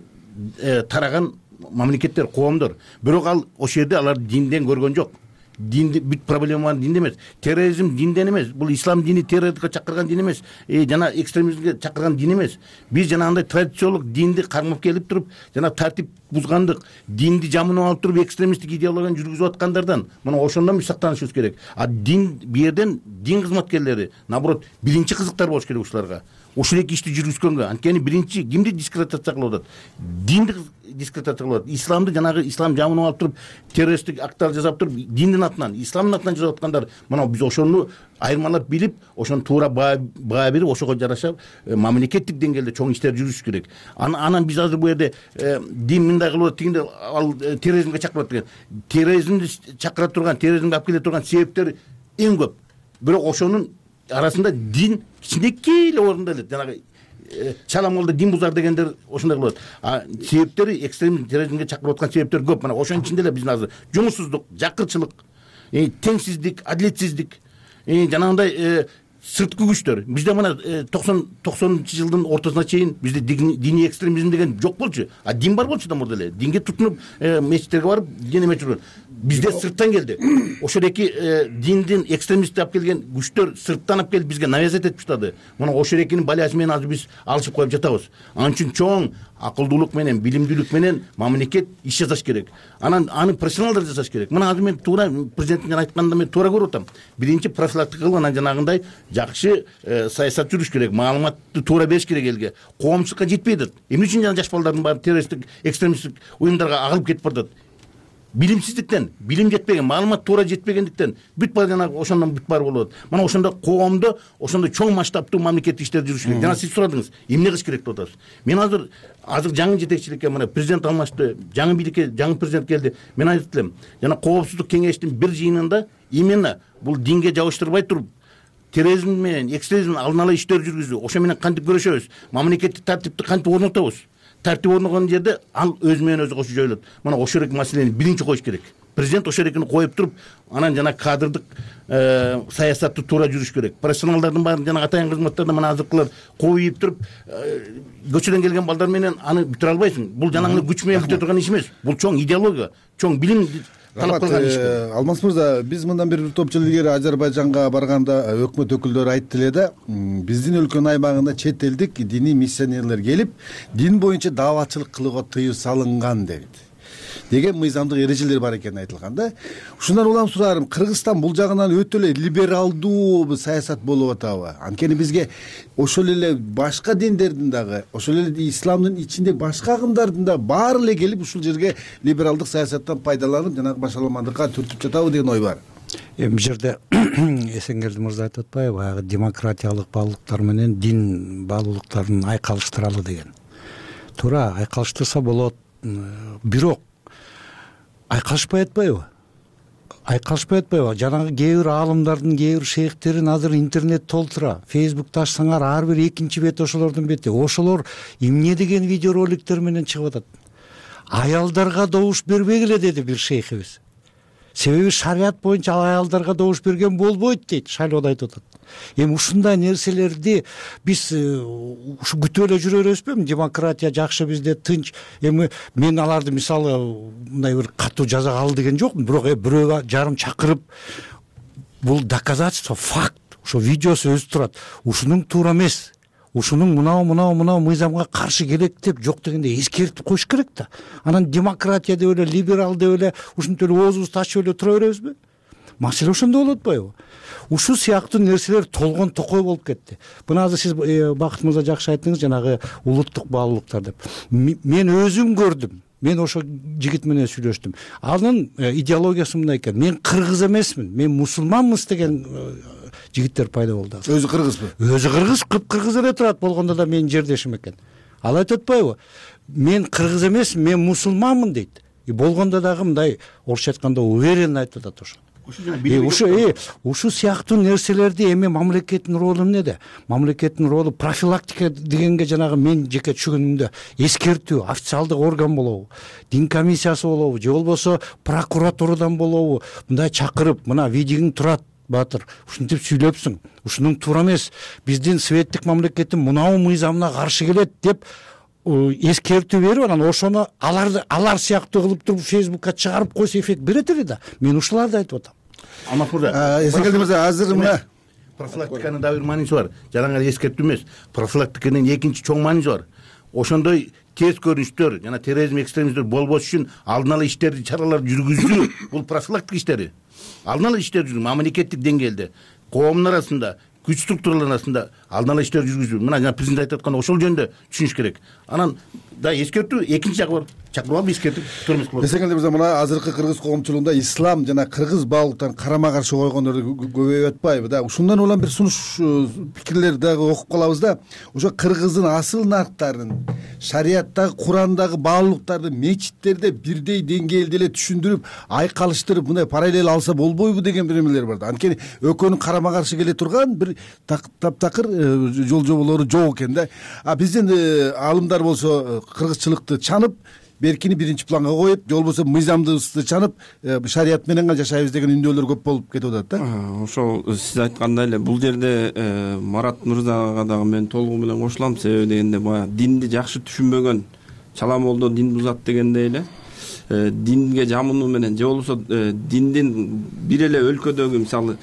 тараган мамлекеттер, коомдор. Бирок ал ошол жерде алар динден көргөн жок. Динди бүт проблема динде эмес. Терроризм динден эмес. Бул ислам дини террордукка чакырган дин эмес. Жана экстремизмге чакырган дин эмес. Биз жанагындай традициялык динди кармап келип туруп, жана тартип бузгандык, динди жамынып алып туруп экстремисттик идеологияны жүргүзүп аткандардан мына ошондон биз сактанышыбыз керек. А дин бу жерден дин кызматкерлери, наоборот, биринчи кызыктар болуш керек ушуларга. Ушул эки ишти жүргүзгөнгө. Анткени биринчи кимди дискредитация кылып атат? Динди дискредитация кылып атат. Исламды жанагы ислам жамынып алып туруп, террористтик акттар жасап туруп, диндин атынан, исламдын атынан жасап аткандар. Мына биз ошону айырмалап билип, ошону туура баа берип, ошого жараша мамлекеттик деңгээлде чоң иштер жүргүзүш керек. Анан биз азыр бу жерде дин мындай кылып атат, тигинде ал терроризмге чакырып атат деген. Терроризмди чакыра турган, терроризмге алып келе турган себептер эң көп. Бирок ошонун арасында дин кичинекей эле орунда эле, жанагы чала молда дин бузар дегендер ошондой кылып атат. А себептери экстремизм, терроризмге чакырып аткан себептер көп. Мына ошонун ичинде эле биздин азыр жумушсуздук, жакырчылык, теңсиздик, адилетсиздик, жанагындай сырткы күчтөр. Бизде мына 90-жылдын ортосуна чейин бизде диний экстремизм деген жок болчу. А дин бар болчу да мурда эле. Динге тутунуп, мечиттерге барып, дин эме жүргөн. Бизде сырттан келди. Ошол эки диндин экстремистти алып келген күчтөр сырттан алып келип бизге навязать этип баштады. Мына ошол экинин балясы менен азыр биз алышып коюп жатабыз. Анын үчүн чоң акылдуулук менен, билимдүүлүк менен мамлекет иш жасаш керек. Анан аны профессионалдар жасаш керек. Мына азыр мен туура президенттин айтканында мен туура көрүп атам. Биринчи профилактика кылып, анан жанагындай жакшы саясат жүрүш керек, маалыматты туура бериш керек элге. Коомчулукка жетпей атат. Эмне үчүн жана жаш балдардын баары террористтик, экстремисттик уюмдарга агылып кетип баратат? Билимсиздиктен, билим жетпеген, маалымат туура жетпегендиктен бүт баары жана ошондон бүт баары болуп атат. Мына ошондо коомдо ошондой чоң масштабтуу мамлекеттик иштер жүрүш керек. Жана сиз сурадыңыз, эмне кылыш керек деп атасыз. Мен азыр жаңы жетекчиликке, мына президент алмашты, жаңы бийликке жаңы президент келди. Мен айтып элем, жана коопсуздук кеңештин бир жыйынында именно бул динге жабыштырбай туруп, терроризм менен экстремизм алдын ала иштер жүргүзүү, ошо менен кантип күрөшөбүз, мамлекеттик тартипти кантип орнотобуз. Тартип орногон жерде ал өзү менен өзү кошо жоюлат. Мына ошол эки маселени биринчи коюш керек. Президент ошол экини коюп туруп, анан жана кадрдык саясатты туура жүрүш керек. Профессионалдардын баарын жана атайын кызматтарда мына азыркылар коюп туруп, көчөдөн келген балдар менен аны бүтүрө албайсың. Бул жанагы күч менен бүтө турган иш эмес. Бул чоң идеология, чоң билим талап кылган иш. Алмаз мырза, биз мындан бир топ жыл илгери Азербайжанга барганда өкмөт өкүлдөрү айтты эле да, биздин өлкөнүн аймагында чет элдик диний миссионерлер келип, дин боюнча дааватчылык кылууга тыюу салынган деген мыйзамдык эрежелер бар экени айтылган да. Ушундан улам сураарым, Кыргызстан бул жагынан өтө эле либералдуу саясат болуп атабы? Анткени бизге ошол эле башка диндердин дагы, ошол эле исламдын ичинде башка агымдардын да баары эле келип ушул жерге либералдык саясаттан пайдаланып, жанагы башаламандыкка түртүп жатабы деген ой бар. Бул жерде Эсенгелди мырза айтып атпайбы, баягы демократиялык баалуулуктар менен дин баалуулуктарын айкалыштыралы деген. Туура, айкалыштырса болот. Бирок айкалышпай атпайбы? Жанагы кээ бир аалымдардын, кээ бир шейхтерин азыр интернет толтура. Фейсбукта ачсаңар ар бир экинчи бети ошолордун бети. Ошолор эмне деген видеороликтер менен чыгып атат. аялдарга добуш бербегиле деди бир шейхибиз. Себеби шарият боюнча аялдарга добуш берген болбойт дейт, шайлоодо айтып атат. Эми ушундай нерселерди биз ушу күтүп эле жүрө беребизби? Демократия жакшы, бизде тынч. Эми мен аларды мисалы мындай бир катуу жазага ал деген жокмун, бирок бирөө жарым чакырып бул доказательство, факт, ошо видеосу өзү турат. Ушунун туура эмес, ушунун мынау мыйзамга каршы келет деп жок дегенде эскертип коюш керек да. Анан демократия деп эле, либерал деп эле ушинтип эле оозубузду ачып эле тура беребизби? Маселе ошондо болуп атпайбы? Ушул сыяктуу нерселер толгон токой болуп кетти. Буну азыр сиз Бакыт мырза жакшы айттыңыз, жанагы улуттук баалуулуктар деп. Мен өзүм көрдүм. Мен ошо жигит менен сүйлөштүм. Анын идеологиясы мындай экен: мен кыргыз эмесмин, мен мусулманмыз деген жигиттер пайда болду. Өзү кыргызбы? Өзү кыргыз, кыргыз эле турат, болгондо да менин жердешим экен. Ал айтып атпайбы? Мен кыргыз эмесмин, мен мусулманмын дейт. Болгондо дагы мындай орусча айтканда уверенно айтып атат ошо. Ушул сыяктуу нерселерди эми мамлекеттин ролу эмнеде? Мамлекеттин ролу профилактика дегенге жанагы мен жеке түшүнүмдө эскертүү, официалдык орган болобу, дин комиссиясы болобу, же болбосо прокуратурадан болобу, мындай чакырып, мына видеоң турат Батыр, ушинтип сүйлөпсүң, ушунун туура эмес, биздин светтик мамлекеттин мынау мыйзамына каршы келет деп эскертүү берип, анан ошону алар сыяктуу кылып туруп Фейсбукка чыгарып койсо эффект берет эле да. Мен ушуларды айтып атам. Эсекелди мырза, азыр мына профилактиканын да бир мааниси бар. Жаңы эскертүү эмес, профилактиканын экинчи чоң мааниси бар. Ошондой терс көрүнүштөр жана терроризм, экстремизм болбош үчүн алдын ала иштерди, чараларды жүргүзүү, бул профилактика иштери. Алдын ала иштер жүргүзүү, мамлекеттик деңгээлде, коомдун арасында, күч структураларынын арасында алдын ала иштер жүргүзүү. Мына жана президент айтып аткан ошол жөнүндө түшүнүш керек. Анан да эскертүү экинчи жагы бар. Чакырып алып эскертип турмуш кылып. Эсекелди мырза, мына азыркы кыргыз коомчулугунда ислам жана кыргыз баалуулуктарын карама каршы койгондор көбөйүп атпайбы да? Ушундан улам бир сунуш пикирлер дагы окуп калабыз да. Ошо кыргыздын асыл нарктарын, шариаттагы, Курандагы баалуулуктарды мечиттерде бирдей деңгээлде эле түшүндүрүп, айкалыштырып, мындай параллель алса болбойбу деген бир эмелер бар да. Анткени экөөнүн карама каршы келе турган бир таптакыр жол жоболору жок экен да. Биздин алымдар болсо кыргызчылыкты чанып, беркини биринчи планга коюп, же болбосо мыйзамдыбызды чанып, шарият менен гана жашайбыз деген үндөөлөр көп болуп кетип атат да. Ошол сиз айткандай эле бул жерде Марат мырзага дагы мен толугу менен кошулам. Себеби дегенде баягы динди жакшы түшүнбөгөн чала молдо дин бузат дегендей эле динге жамынуу менен, же болбосо диндин бир эле өлкөдөгү мисалы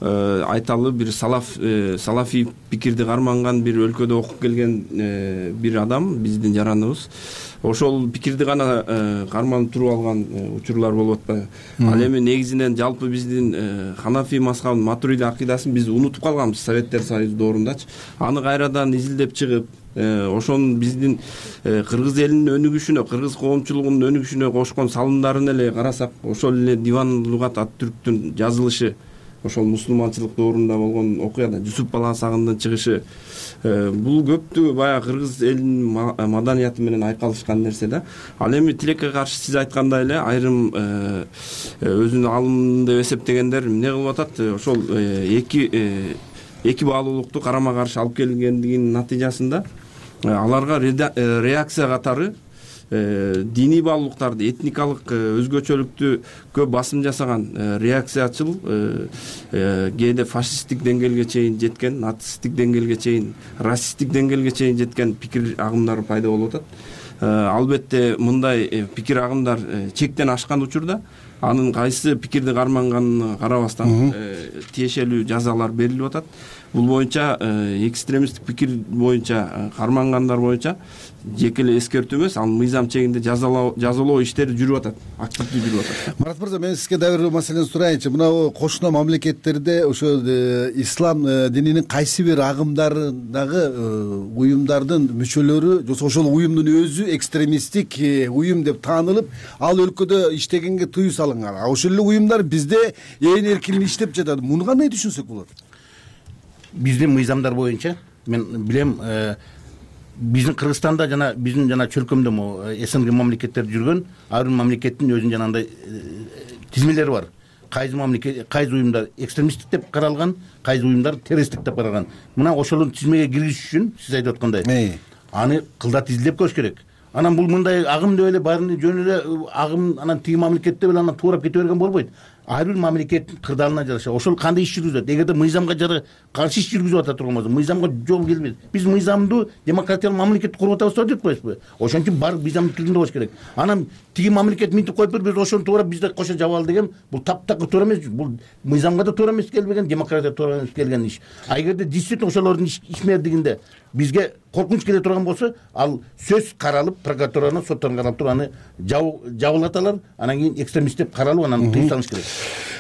айталы бир салафий пикирди карманган бир өлкөдө окуп келген бир адам, биздин жараныбыз ошол пикирди гана карманып туруп алган учурлар болуп атпайбы? Ал эми негизинен жалпы биздин Ханафи мазхабын, Матуриди акыйдасын биз унутуп калганбыз Советтер Союзу доорундачы. Аны кайрадан изилдеп чыгып, ошонун биздин кыргыз элинин өнүгүшүнө, кыргыз коомчулугунун өнүгүшүнө кошкон салымдарын эле карасак, ошол эле Диван Лугат ат-Түрктүн жазылышы, ошол мусулманчылык доорунда болгон окуяда Жусуп Баласагындын чыгышы, бул көптүгү баягы кыргыз элинин маданияты менен айкалышкан нерсе да. Ал эми тилекке каршы сиз айткандай эле айрым өзүнүн алым деп эсептегендер эмне кылып атат? Ошол эки баалуулукту карама каршы алып келгендигинин натыйжасында аларга реакция катары диний баалуулуктарды, этникалык өзгөчөлүктү басым жасаган реакциячыл, кээде фашисттик деңгээлге чейин жеткен, нацисттик деңгээлге чейин, расисттик деңгээлге чейин жеткен пикир агымдары пайда болуп атат. Албетте мындай пикир агымдар чектен ашкан учурда анын кайсы пикирди карманганына карабастан тиешелүү жазалар берилип атат. Бул боюнча экстремисттик пикир боюнча кармангандар боюнча жеке эле эскертүү эмес, ал мыйзам чегинде жазалоо иштери жүрүп атат, активдүү жүрүп атат. Марат мырза, мен сизге дагы бир маселени сурайынчы. Мына кошуна мамлекеттерде ошо ислам дининин кайсы бир агымдарындагы уюмдардын мүчөлөрү, же ошол уюмдун өзү экстремисттик уюм деп таанылып, ал өлкөдө иштегенге тыюу салынган. Ошол эле уюмдар бизде ээн эркин иштеп жатат. Муну кандай түшүнсөк болот? Биздин мыйзамдар боюнча мен билем, биздин Кыргызстанда жана биздин жана чөлкөмдө СНГ мамлекеттерде жүргөн ар бир мамлекеттин өзүнүн жанагындай тизмелери бар. Кайсы уюмдар экстремисттик деп каралган, кайсы уюмдар террористтик деп каралган. Мына ошолун тизмеге киргизиш үчүн сиз айтып аткандай аны кылдат изилдеп көрүш керек. анан бул мындай агым деп эле баарын жөн эле агым анан тиги мамлекетте эле анан туурап кете берген болбойт. Ар бир мамлекеттин кырдаалына жараша ошол кандай иш жүргүзөт. Эгерде мыйзамга каршы иш жүргүзүп атат болсо мыйзамга жол келбейт. Биз мыйзамдуу демократиялык мамлекет куруп атабыз деп коебузбу? Ошон үчүн баары мыйзамдын тилинде болуш керек. Анан тиги мамлекет минтип коюп биз ошону туурап бизде кошо жабалы деген бул таптакыр туура эмес. Бул мыйзамга да туура эмес келбеген, демократияга туура эмес келген иш. А эгерде действительно ошолордун ишмердигинде бизге коркунуч келе турган болсо, ал сөз каралып, прокуратуранын соттон каралып туруп аны жабылаталар, анан кийин экстремист деп каралып анан тыюп салыш керек.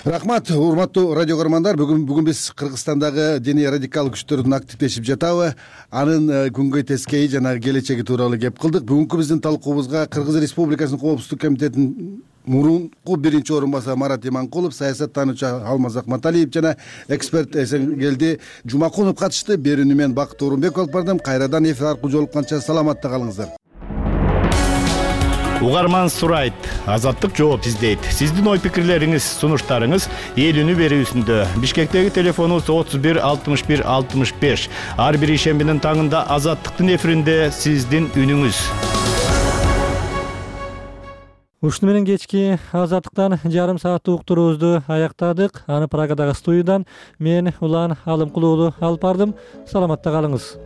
Рахмат, урматтуу радио көрөрмандар. Бүгүн биз Кыргызстандагы диний радикал күчтөрдүн активдешип жатабы, анын күнгөй тескейи жана келечеги тууралуу кеп кылдык. Бүгүнкү биздин талкуубузга Кыргыз Республикасынын Коопсуздук комитетинин мурунку биринчи орун басары Марат Иманкулов, саясаттануучу Алмаз Акматалиев жана эксперт Эсенгелди Жумакунов катышты. Берүүнү мен Бакыт Орунбеков алып бардым. Кайрадан эфир аркылуу жолукканча саламатта калыңыздар. Угарман сурайт, азаттык жооп издейт. Сиздин ой пикирлериңиз, сунуштарыңыз ээлүүнү берүүсүндө. Бишкектеги телефонубуз 31 61 65. Ар бир ишембинин таңында азаттыктын эфиринде сиздин үнүңүз. Ушуну менен кечки азаттыктан жарым сааттык уктуруубузду аяктадык. Аны Прагадагы студиядан мен Улан Алымкулуу алып бардым. Саламатта калыңыз.